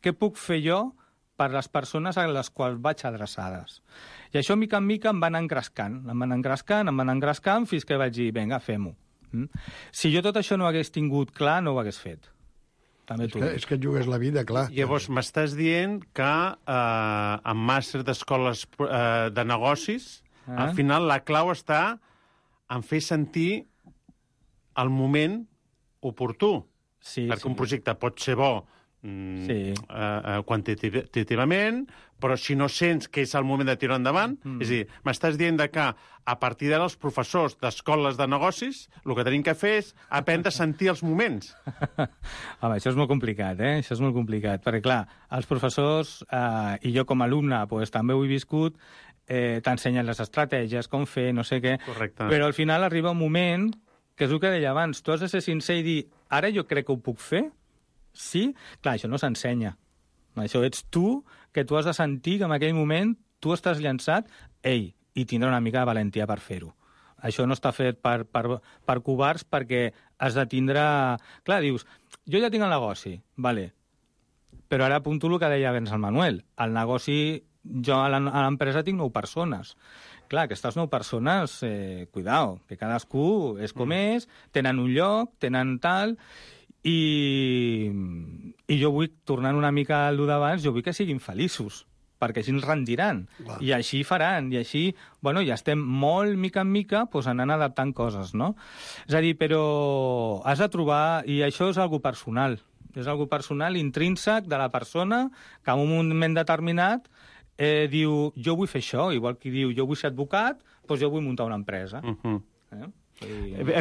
què puc fer jo per les persones a les quals vaig adreçades? I això, mica en mica, em van engrescant, fins que vaig dir, vinga, fem-ho. Si jo tot això no hagués tingut clar, no ho hagués fet. També t'ho dic. És que et jugues la vida, clar. Llavors, m'estàs dient que en màster d'escoles de negocis, al final la clau està en fer sentir el moment oportú. Sí, perquè un projecte pot ser bo quantitativament, però si no sents que és el moment de tirar endavant, és a dir, m'estàs dient que a partir d'ara els professors d'escoles de negocis el que tenim que fer és aprendre a sentir els moments. Home, això és molt complicat, Això és molt complicat, perquè, clar, els professors, i jo com a alumne pues, també ho he viscut, t'ensenyen les estratègies, com fer, no sé què. Correcte. Però al final arriba un moment, que és el que deia abans, tu has de ser sincer i dir, ara jo crec que ho puc fer? Sí? Clar, això no s'ensenya. Això ets tu, que tu has de sentir que en aquell moment tu estàs llançat, i tindrà una mica de valentia per fer-ho. Això no està fet per covards, perquè has de tindre... Clar, dius, jo ja tinc el negoci, vale, però ara apunto el que deia abans el Manuel. El negoci... Jo a l'empresa tinc 9 persones. Clar, aquestes 9 persones, cuidao, que cadascú és com és, tenen un lloc, tenen tal, i jo vull, tornant una mica al d'abans, jo vull que siguin feliços, perquè així ens rendiran, i així faran, i així, bueno, ja estem molt, mica en mica, doncs anant adaptant coses, no? És a dir, però has de trobar, i això és algo personal, intrínsec de la persona, que en un moment determinat diu, jo vull fer això, igual que diu, jo vull ser advocat, doncs jo vull muntar una empresa.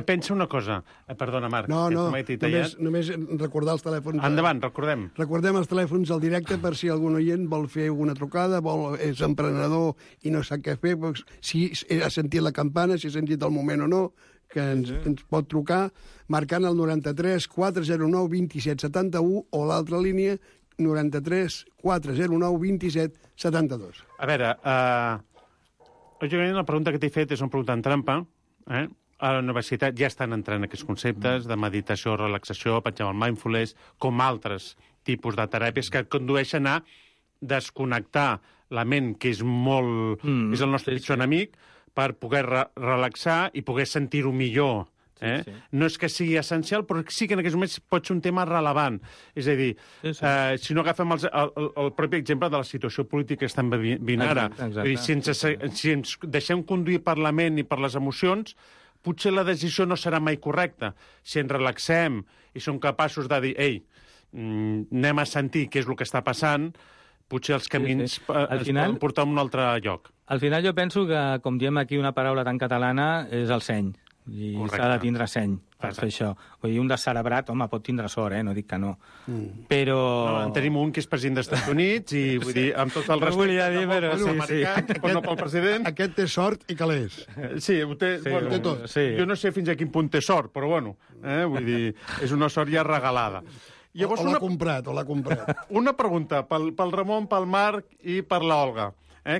Pensa una cosa. Perdona, Marc. No, només recordar els telèfons. Endavant, recordem. Recordem els telèfons al directe per si algun oient vol fer alguna trucada, és emprenedor i no sap què fer, si ha sentit la campana, si ha sentit el moment o no, que ens pot trucar marcant el 93 409 27 71 o l'altra línia 93 409 27 72. A veure, lògicament la pregunta que t'he fet és una pregunta en trampa. A la universitat ja estan entrant aquests conceptes de meditació, relaxació, pensem el mindfulness, com altres tipus de teràpies que condueixen a desconnectar la ment, que és molt... és el nostre pitjor enemic, per poder relaxar i poder sentir-ho millor. No és que sigui essencial, però sí que en aquests moments pot ser un tema relevant. És a dir, si no agafem el propi exemple de la situació política que estem vivint ara, si ens deixem conduir per la ment i per les emocions, potser la decisió no serà mai correcta. Si ens relaxem i som capaços de dir, anem a sentir què és el que està passant, potser els camins es poden portar a un altre lloc. Al final jo penso que, com diem aquí una paraula tan catalana, és el seny. I s'ha de tindre seny per fer això. Vull dir, un descerebrat, home, pot tindre sort, no dic que no. Però... No, en tenim un que és president dels Estats Units i, vull dir, amb tot el respecte... No volia dir, però sí. Però no pel president. Aquest té sort i calés. Sí, ho té tot. Jo no sé fins a quin punt té sort, però bueno, vull dir, és una sort ja regalada. Llavors, o l'ha comprat. Una pregunta pel Ramon, pel Marc i per l'Olga.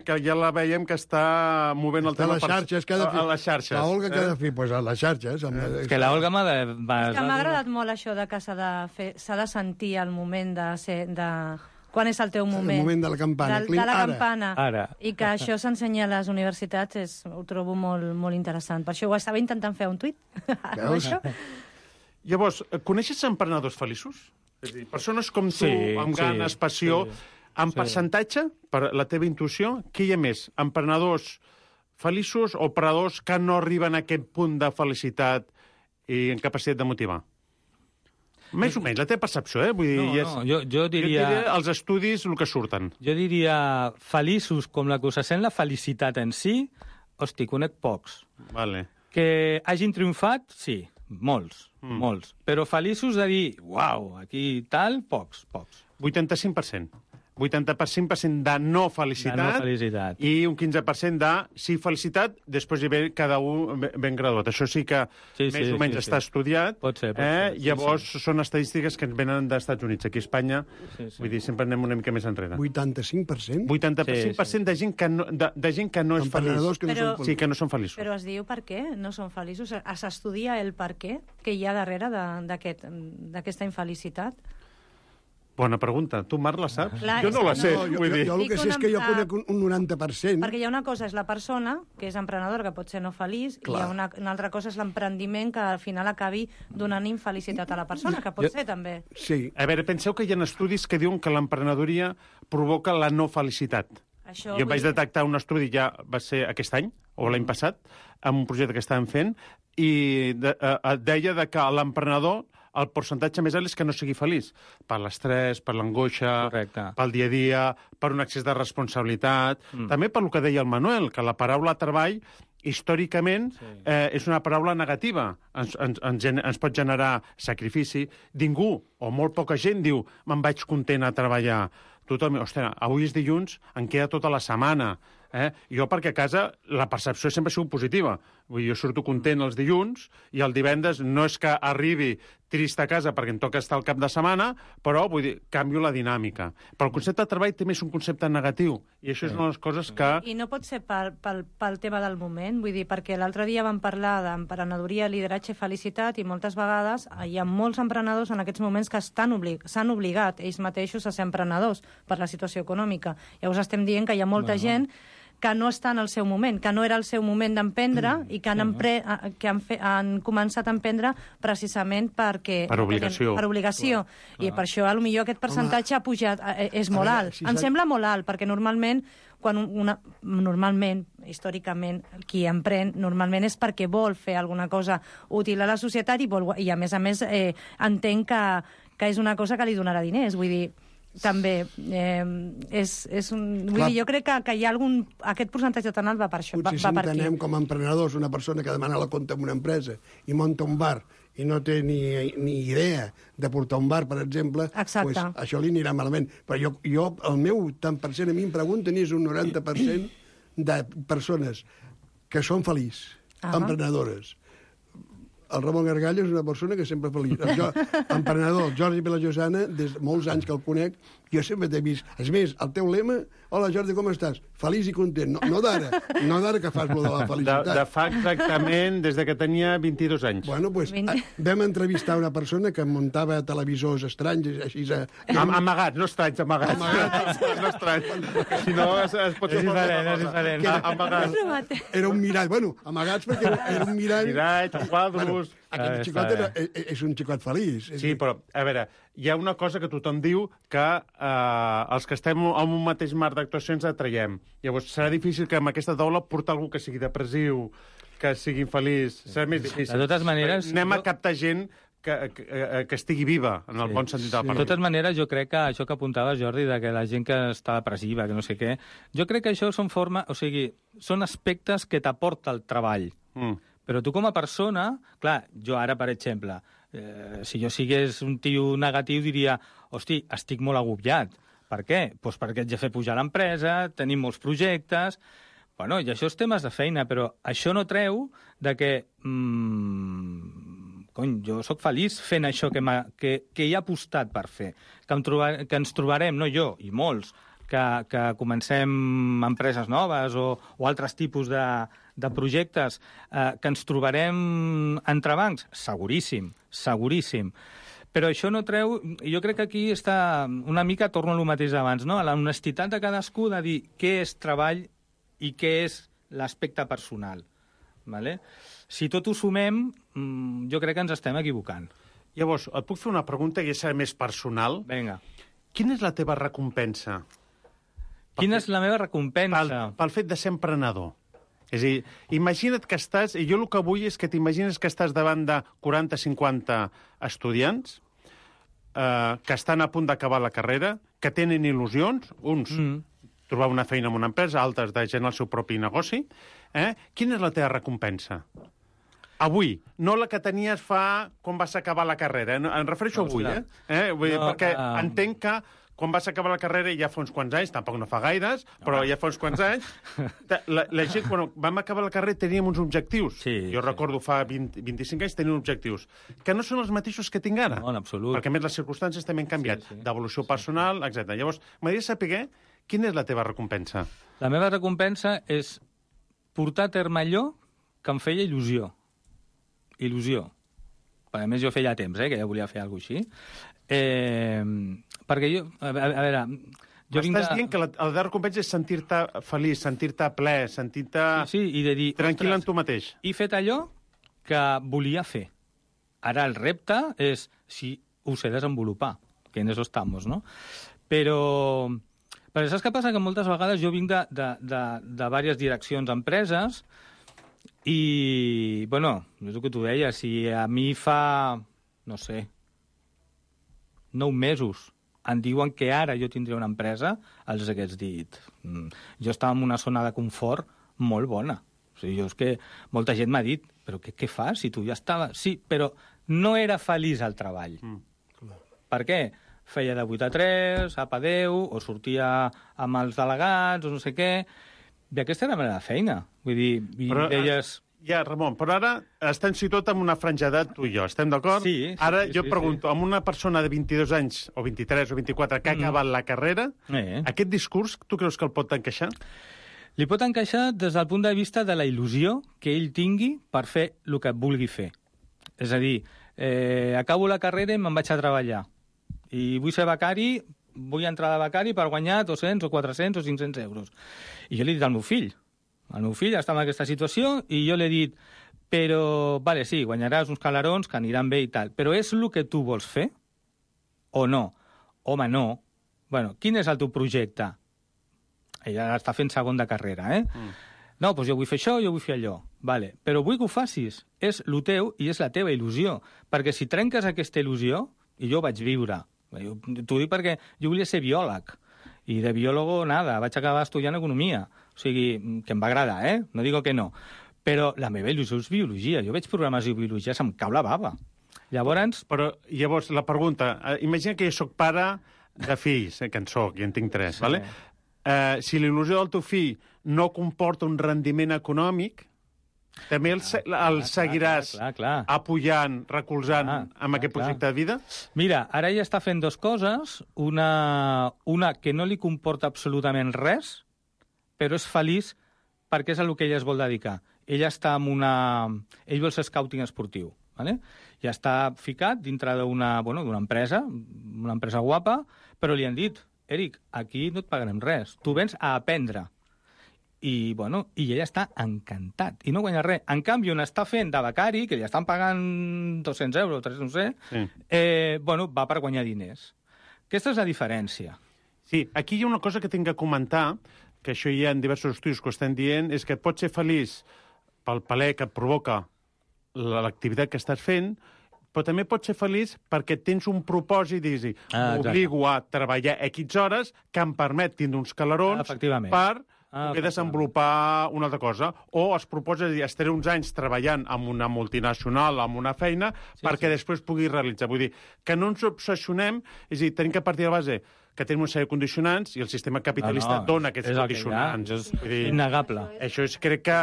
Que ja la veiem que està movent el tema a les xarxes. La Olga què ha de fer? Doncs a les xarxes. És que la Olga m'ha de... És que m'ha agradat molt això de que s'ha de sentir el moment de quan és el teu moment. El moment de la campana. De la campana. Ara. I que això s'ensenya a les universitats ho trobo molt, molt interessant. Per això ho estava intentant fer un tuit. Veus? Llavors, coneixes emprenedors feliços? És a dir, persones com tu, amb ganes, passió... En percentatge, per la teva intuïció, què hi ha més? Emprenedors feliços o emprenedors que no arriben a aquest punt de felicitat i en capacitat de motivar? Més o menys, la teva percepció, Vull dir, jo diria... els estudis, el que surten. Jo diria feliços com la que us sent la felicitat en si, hosti, conec pocs. Vale. Que hagin triomfat, sí, molts. Però feliços de dir, uau, aquí tal, pocs. 85%. 85% de no felicitat, De no felicitat. i un 15% de sí felicitat, després hi ve cada un ben graduat. Això sí que més o menys està estudiat. Pot ser. Llavors són estadístiques que ens venen dels Estats Units. Aquí a Espanya, vull dir, sempre anem una mica més enrere. 85%? 85% de gent que no, de gent que no és feliç. Emprenedors que no són feliços. Sí, que no són feliços. Però es diu per què no són feliços? S'estudia el per què que hi ha darrere d'aquesta infelicitat? Bona pregunta. Tu, Marc, la saps? Clar, jo no la sé, No, vull dir. jo el que sé és que jo conec un 90%. Perquè hi ha una cosa és la persona, que és emprenedora, que pot ser no feliç, i hi ha una altra cosa és l'emprendiment, que al final acabi donant infelicitat a la persona, que pot ser també. Sí. A veure, penseu que hi ha estudis que diuen que l'emprenedoria provoca la no felicitat. Això, Jo vaig detectar un estudi, ja va ser aquest any, o l'any passat, amb un projecte que estàvem fent, i deia de que l'emprenedor el percentatge més alt és que no sigui feliç. Per l'estrès, per l'angoixa, pel dia a dia, per un excés de responsabilitat. També per lo que deia el Manuel, que la paraula treball històricament és una paraula negativa. Ens pot generar sacrifici. Ningú, o molt poca gent, diu me'n vaig content a treballar. Tothom, ostres, avui és dilluns, em queda tota la setmana. Jo, perquè a casa, la percepció sempre ha sigut positiva. Vull dir, jo surto content els dilluns i el divendres no és que arribi trist a casa perquè em toca estar al cap de setmana, però, vull dir, canvio la dinàmica. Però el concepte de treball també és un concepte negatiu, i això és una de les coses que... I no pot ser pel tema del moment, vull dir, perquè l'altre dia vam parlar d'emprenedoria, lideratge i felicitat, i moltes vegades hi ha molts emprenedors en aquests moments que s'han obligat ells mateixos a ser emprenedors per la situació econòmica. Llavors estem dient que hi ha molta gent que no està en el seu moment, que no era el seu moment d'emprendre i que han començat a emprendre precisament perquè... Per obligació. Per obligació. I per això, potser aquest percentatge ha pujat, és molt alt. Em sembla molt alt, perquè normalment, històricament, qui emprèn normalment és perquè vol fer alguna cosa útil a la societat i a més, entenc que és una cosa que li donarà diners. Vull dir, també jo crec que hi ha aquest percentatge tan alt va per això. Potser si entenem com a emprenedors una persona que demana la compte en una empresa i munta un bar i no té ni idea de portar un bar, per exemple, pues, això li anirà malament. Però jo, el meu tant per cent, a mi em pregunten, és un 90% de persones que són feliços, emprenedores. El Ramon Gargalla és una persona que sempre feliç. Emprenedor, el Jordi Vilajosana, des de molts anys que el conec, jo sempre t'he vist. És més, el teu lema, hola Jordi, com estàs? Feliç i content. No d'ara que fas lo de la felicitat. De fa exactament des de que tenia 22 anys. Bueno, doncs vam entrevistar una persona que muntava televisors estranys, així... Amagats, no estranys, amagats. No estranys. Si no, es pot... És diferent. Amagats. Era un mirall. Bueno, amagats perquè era un mirall... Mirall, quadros... Aquest xicot és un xicot feliç. Sí, però, a veure, hi ha una cosa que tothom diu que els que estem en un mateix marc d'actuacions atraiem. Llavors, serà difícil que amb aquesta taula portar algú que sigui depressiu, que sigui infeliç. Serà més difícil. De totes maneres... Anem a captar gent que estigui viva, en el bon sentit de la paraula. De totes maneres, jo crec que això que apuntava Jordi, de que la gent que està depressiva, que no sé què, jo crec que això són aspectes que t'aporta el treball. Però tu com a persona, clar, jo ara, per exemple, si jo sigués un tio negatiu, diria, hosti, estic molt agobiat. Per què? Doncs perquè haig de fer pujar l'empresa, tenim molts projectes... Bueno, i això és temes de feina, però això no treu de que... jo sóc feliç fent això que he apostat per fer. Que ens trobarem, no jo, i molts, que comencem empreses noves o altres tipus de projectes, que ens trobarem entrebancs? Seguríssim, seguríssim. Però això no treu... Jo crec que aquí està una mica, torno a lo mateix d'abans, no? A la honestitat de cadascú de dir què és treball i què és l'aspecte personal. Vale? Si tot ho sumem, jo crec que ens estem equivocant. Llavors, et puc fer una pregunta que serà més personal? Vinga. Quina és la teva recompensa? Quina és la meva recompensa? Pel fet de ser emprenedor. És a dir, imagina't que estàs... I jo el que vull és que t'imagines que estàs davant de 40-50 estudiants que estan a punt d'acabar la carrera, que tenen il·lusions, uns trobar una feina en una empresa, altres de generar el seu propi negoci. Quina és la teva recompensa? Avui, no la que tenies fa quan vas acabar la carrera. Em refereixo avui, Vull dir, perquè entenc quan vas acabar la carrera, ja fa uns quants anys, tampoc no fa gaires, però ja fa uns quants anys, la gent, quan vam acabar la carrera, teníem uns objectius. Jo recordo fa 25 anys teníem objectius, que no són els mateixos que tinc ara. No, en absolut. Perquè, a més, les circumstàncies també han canviat, d'evolució personal, etc. Llavors, m'agradaria saber quina és la teva recompensa. La meva recompensa és portar a terme allò que em feia il·lusió. Il·lusió. A més, jo feia temps, que ja volia fer alguna cosa així. Perquè jo... A veure... M'estàs dient que la de recompensa és sentir-te feliç, sentir-te ple, sentir-te... Sí, i de dir... Tranquil en tu mateix. He fet allò que volia fer. Ara el repte és si ho sé desenvolupar, que en eso estamos, no? Però saps què passa? Que moltes vegades jo vinc de diverses direccions d'empreses i, bueno, és el que tu deies, si a mi fa, no sé, 9 mesos em diuen que ara jo tindré una empresa, els hagués dit. Jo estava en una zona de confort molt bona. O sigui, és que molta gent m'ha dit, però què fas si tu ja estaves... Sí, però no era feliç al treball. Per què? Feia de 8 a 3, apa 10, o sortia amb els delegats, o no sé què... I aquesta era la meva feina. Vull dir, deies... Ja, Ramon, però ara estem situats en una franja d'edat, tu i jo, estem d'acord? Sí. Ara jo pregunto, amb una persona de 22 anys, o 23 o 24, que ha acabat la carrera, aquest discurs, tu creus que el pot encaixar? Li pot encaixar des del punt de vista de la il·lusió que ell tingui per fer el que vulgui fer. És a dir, acabo la carrera i me'n vaig a treballar. I vull ser becari, vull entrar de becari per guanyar 200 o 400 o 500 euros. I jo li he dit al meu fill està en aquesta situació i jo li he dit, però, vale, sí, guanyaràs uns calarons que aniran bé i tal, però és el que tu vols fer? O no? Home, no. Bueno, quin és el teu projecte? Ella està fent segon de carrera, No, doncs jo vull fer això, jo vull fer allò. Vale. Però vull que ho facis. És el teu i és la teva il·lusió. Perquè si trenques aquesta il·lusió, i jo ho vaig viure, t'ho dic perquè jo volia ser biòleg, i de biòlogo, nada, vaig acabar estudiant economia. O sigui, que em va agradar, no digo que no. Però la meva il·lusió és biologia. Jo veig programació i biologia, se'm cau la bava. Llavors, la pregunta, imagina que jo soc pare de fills, que en soc, i en tinc 3, vale? Si l'il·lusió del teu fill no comporta un rendiment econòmic, també el seguiràs apoyant, recolzant amb aquest projecte de vida? Mira, ara ella està fent 2 coses. Una que no li comporta absolutament res, però és feliç perquè és a el que ella es vol dedicar. Ella està en ell vol ser scouting esportiu. Vale? Ja està ficat dintre d'una empresa, una empresa guapa, però li han dit, Eric, aquí no et pagarem res, tu vens a aprendre. I ella està encantat, i no guanya res. En canvi, on està fent de becari, que li estan pagant 200 euros, 300, no sé, va per guanyar diners. Aquesta és la diferència. Sí, aquí hi ha una cosa que tinc que comentar, que això hi ha diversos estudis que ho estan dient, és que et pots ser feliç pel plaer que et provoca l'activitat que estàs fent, però també pots ser feliç perquè tens un propòsit i dir, m'obligo a treballar X hores que em permet tindre uns calarons per poder desenvolupar una altra cosa. O es proposa dir, estaré uns anys treballant amb una multinacional, amb una feina, perquè després pugui realitzar. Vull dir, que no ens obsessionem, és a dir, tenim que partir de la base que tenim una sèrie de condicionants i el sistema capitalista dona aquests condicionants. És innegable. Això és, crec que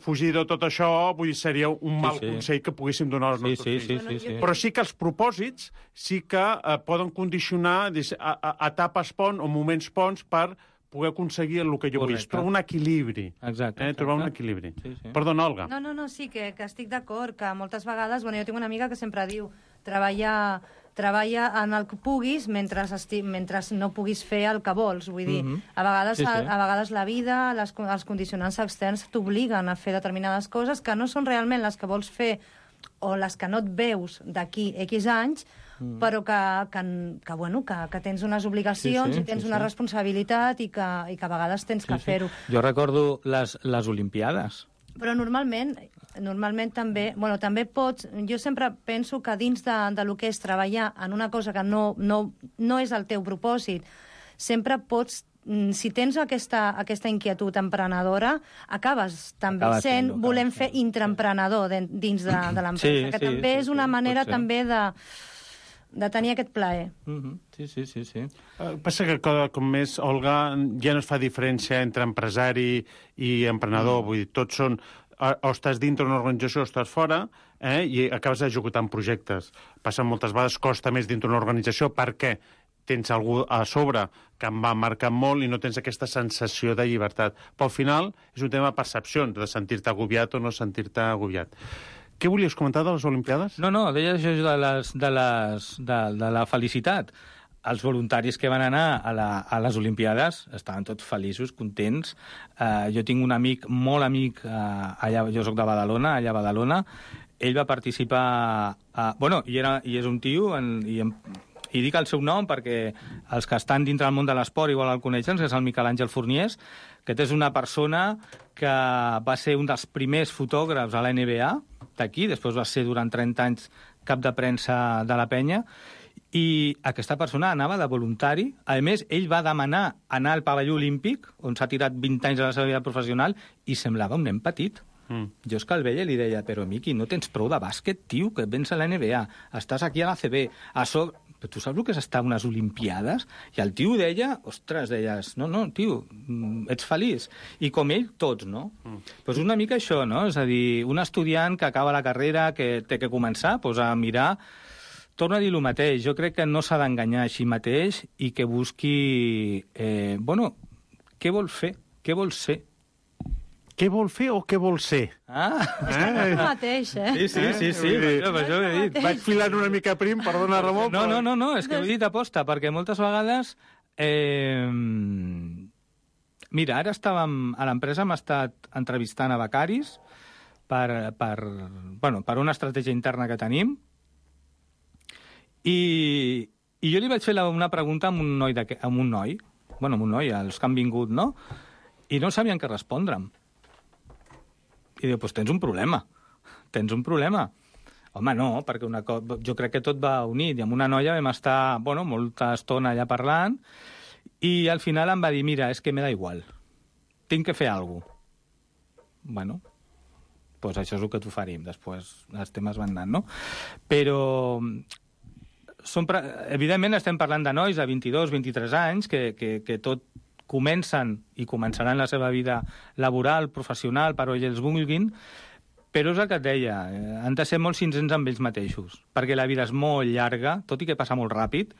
fugir de tot això seria un mal consell que poguéssim donar als nostres fills. Però sí que els propòsits sí que poden condicionar etapes pont o moments ponts per poder aconseguir el que jo vull. Trobar un equilibri. Exacte. Trobar un equilibri. Perdona, Olga. No, sí, que estic d'acord, que moltes vegades... jo tinc una amiga que sempre diu treballa en el que puguis mentre no puguis fer el que vols. Vull dir, a vegades la vida, els condicionants externs t'obliguen a fer determinades coses que no són realment les que vols fer o les que no et veus d'aquí X anys, però que tens unes obligacions i tens una responsabilitat i que a vegades tens que fer-ho. Jo recordo les Olimpiades. Però normalment també, també pots... Jo sempre penso que dins de lo que és treballar en una cosa que no és el teu propòsit, sempre pots... Si tens aquesta inquietud emprenedora, acabes també volent fer intraemprenedor dins de l'empresa, que també és una manera també de de tenir aquest plaer. Sí. Passa que com més, Olga, ja no es fa diferència entre empresari i emprenedor. Vull dir, tots són... O estàs dintre una organització o estàs fora, i acabes executant projectes. Passa moltes vegades, costa més dintre una organització perquè tens algú a sobre que em va marcar molt i no tens aquesta sensació de llibertat. Però al final és un tema de percepcions, de sentir-te agobiat o no sentir-te agobiat. Què volies comentar de les Olimpiades? No, deia això de la felicitat. Els voluntaris que van anar a les Olimpiades estaven tots feliços, contents. Jo tinc un amic, molt amic, allà, jo soc de Badalona, allà a Badalona. Ell va participar... I és un tio... I dic el seu nom perquè els que estan dintre del món de l'esport igual el coneixen, que és el Miquel Àngel Forniés, que és una persona que va ser un dels primers fotògrafs a la NBA d'aquí, després va ser durant 30 anys cap de premsa de la penya, i aquesta persona anava de voluntari. A més, ell va demanar anar al pavelló olímpic, on s'ha tirat 20 anys de la seva vida professional, i semblava un nen petit. Jo és que el veia i li deia, però Miqui, no tens prou de bàsquet, tio, que vens a la NBA, estàs aquí a la CB, a sobre... Però tu saps el que és estar a unes Olimpiades? I el tio deia, ostres, deies, no, tio, ets feliç. I com ell, tots, no? Doncs una mica això, no? És a dir, un estudiant que acaba la carrera, que té que començar a mirar... Torno a dir el mateix, jo crec que no s'ha d'enganyar així mateix i que busqui... què vol fer? Què vol ser? Què vol fer o què vol ser? És que no és el mateix, Sí, per això ho he dit. Vaig filant una mica prim, perdona, Ramon. No, és que ho he dit aposta, perquè moltes vegades... Mira, ara estàvem... A l'empresa hem estat entrevistant a becaris per una estratègia interna que tenim, i jo li vaig fer una pregunta amb un noi, els que han vingut, no? I no sabien què respondre'm. I diu, doncs tens un problema. Home, no, perquè jo crec que tot va unit. I amb una noia vam estar, molta estona allà parlant, i al final em va dir, mira, és que me da igual. Tinc que fer alguna cosa. Doncs això és el que t'oferim. Després els temes van anant, no? Però... Evidentment estem parlant de nois de 22, 23 anys que tot comencen i començaran la seva vida laboral, professional, per on ells vulguin, però és el que et deia, han de ser molt sincers amb ells mateixos, perquè la vida és molt llarga, tot i que passa molt ràpid,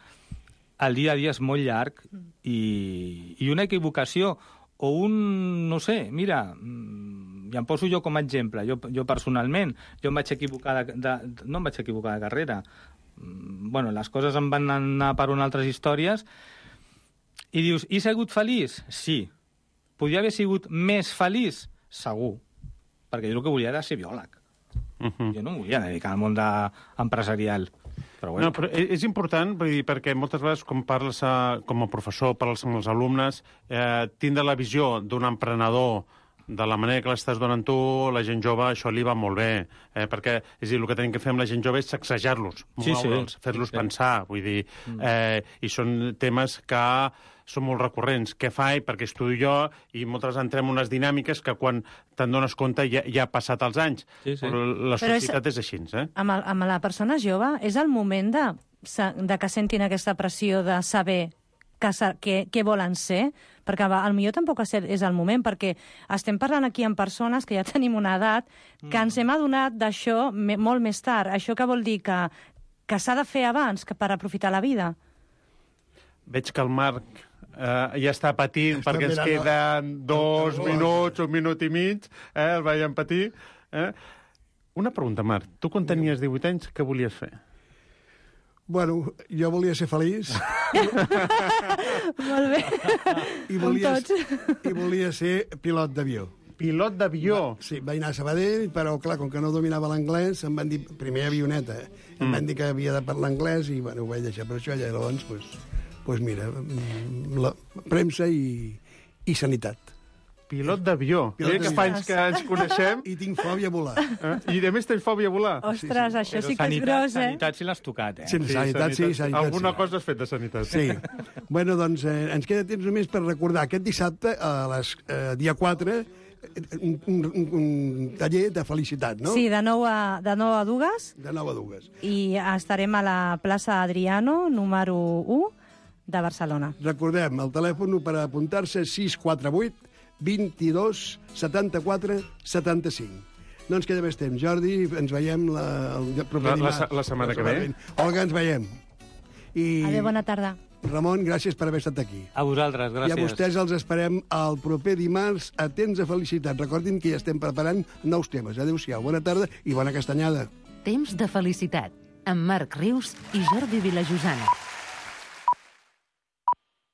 el dia a dia és molt llarg, i una equivocació, o no sé, mira, i em poso jo com a exemple, jo personalment, jo em vaig equivocar no em vaig equivocar de carrera, les coses em van anar per unes altres històries, i dius, he sigut feliç? Sí. Podria haver sigut més feliç? Segur. Perquè jo el que volia era ser biòleg. Jo no em volia dedicar al món empresarial. Però No, però és important, perquè moltes vegades, quan parles com a professor, parles amb els alumnes, tindre la visió d'un emprenedor de la manera que l'estàs donant tu, la gent jove, això li va molt bé, perquè és a dir, el que tenim que fer amb la gent jove és sacsejar-los, moure'ls, fer-los pensar, vull dir, i són temes que són molt recurrents. Què faig? Perquè estudio jo, i moltes entrem en unes dinàmiques que quan te'n dones compte ja ha passat els anys. Però la societat és així, Amb la persona jove és el moment de que sentin aquesta pressió de saber què volen ser, perquè potser tampoc és el moment, perquè estem parlant aquí amb persones que ja tenim una edat, que ens hem adonat d'això molt més tard. Això que vol dir que s'ha de fer abans per aprofitar la vida? Veig que el Marc ja està patint perquè ens queden 2 minuts, 1 minut i mig, el veiem patir. Una pregunta, Marc. Tu quan tenies 18 anys, què volies fer? Bueno, jo volia ser feliç. Molt bé. I volia ser pilot d'avió. Pilot d'avió? Sí, vaig anar a Sabadell, però, clar, com que no dominava l'anglès, em van dir, primer avioneta, em van dir que havia de parlar anglès i, bueno, ho vaig deixar per això, i llavors, doncs mira, premsa i sanitat. Pilot d'avió. Mira que fa anys que ens coneixem. I tinc fòbia a volar. I a més tens fòbia a volar. Ostres, això sí que és gros, Sanitat sí l'has tocat, Sanitat sí. Alguna cosa has fet de sanitat. Sí. Bueno, doncs ens queda temps només per recordar aquest dissabte, dia 4, un taller de felicitat, no? Sí, de 9 a 2. De 9 a 2. I estarem a la plaça Adriano, número 1, de Barcelona. Recordem, el telèfon per apuntar-se és 648 22 74 75. No ens queda més temps. Jordi, ens veiem el proper dimarts. La setmana que ve. Olga, ens veiem. Adéu, bona tarda. Ramon, gràcies per haver estat aquí. A vosaltres, gràcies. I a vostès els esperem el proper dimarts a Temps de Felicitat. Recordin que ja estem preparant nous temes. Adéu-siau, bona tarda i bona castanyada. Temps de Felicitat, amb Marc Rius i Jordi Vilajosana.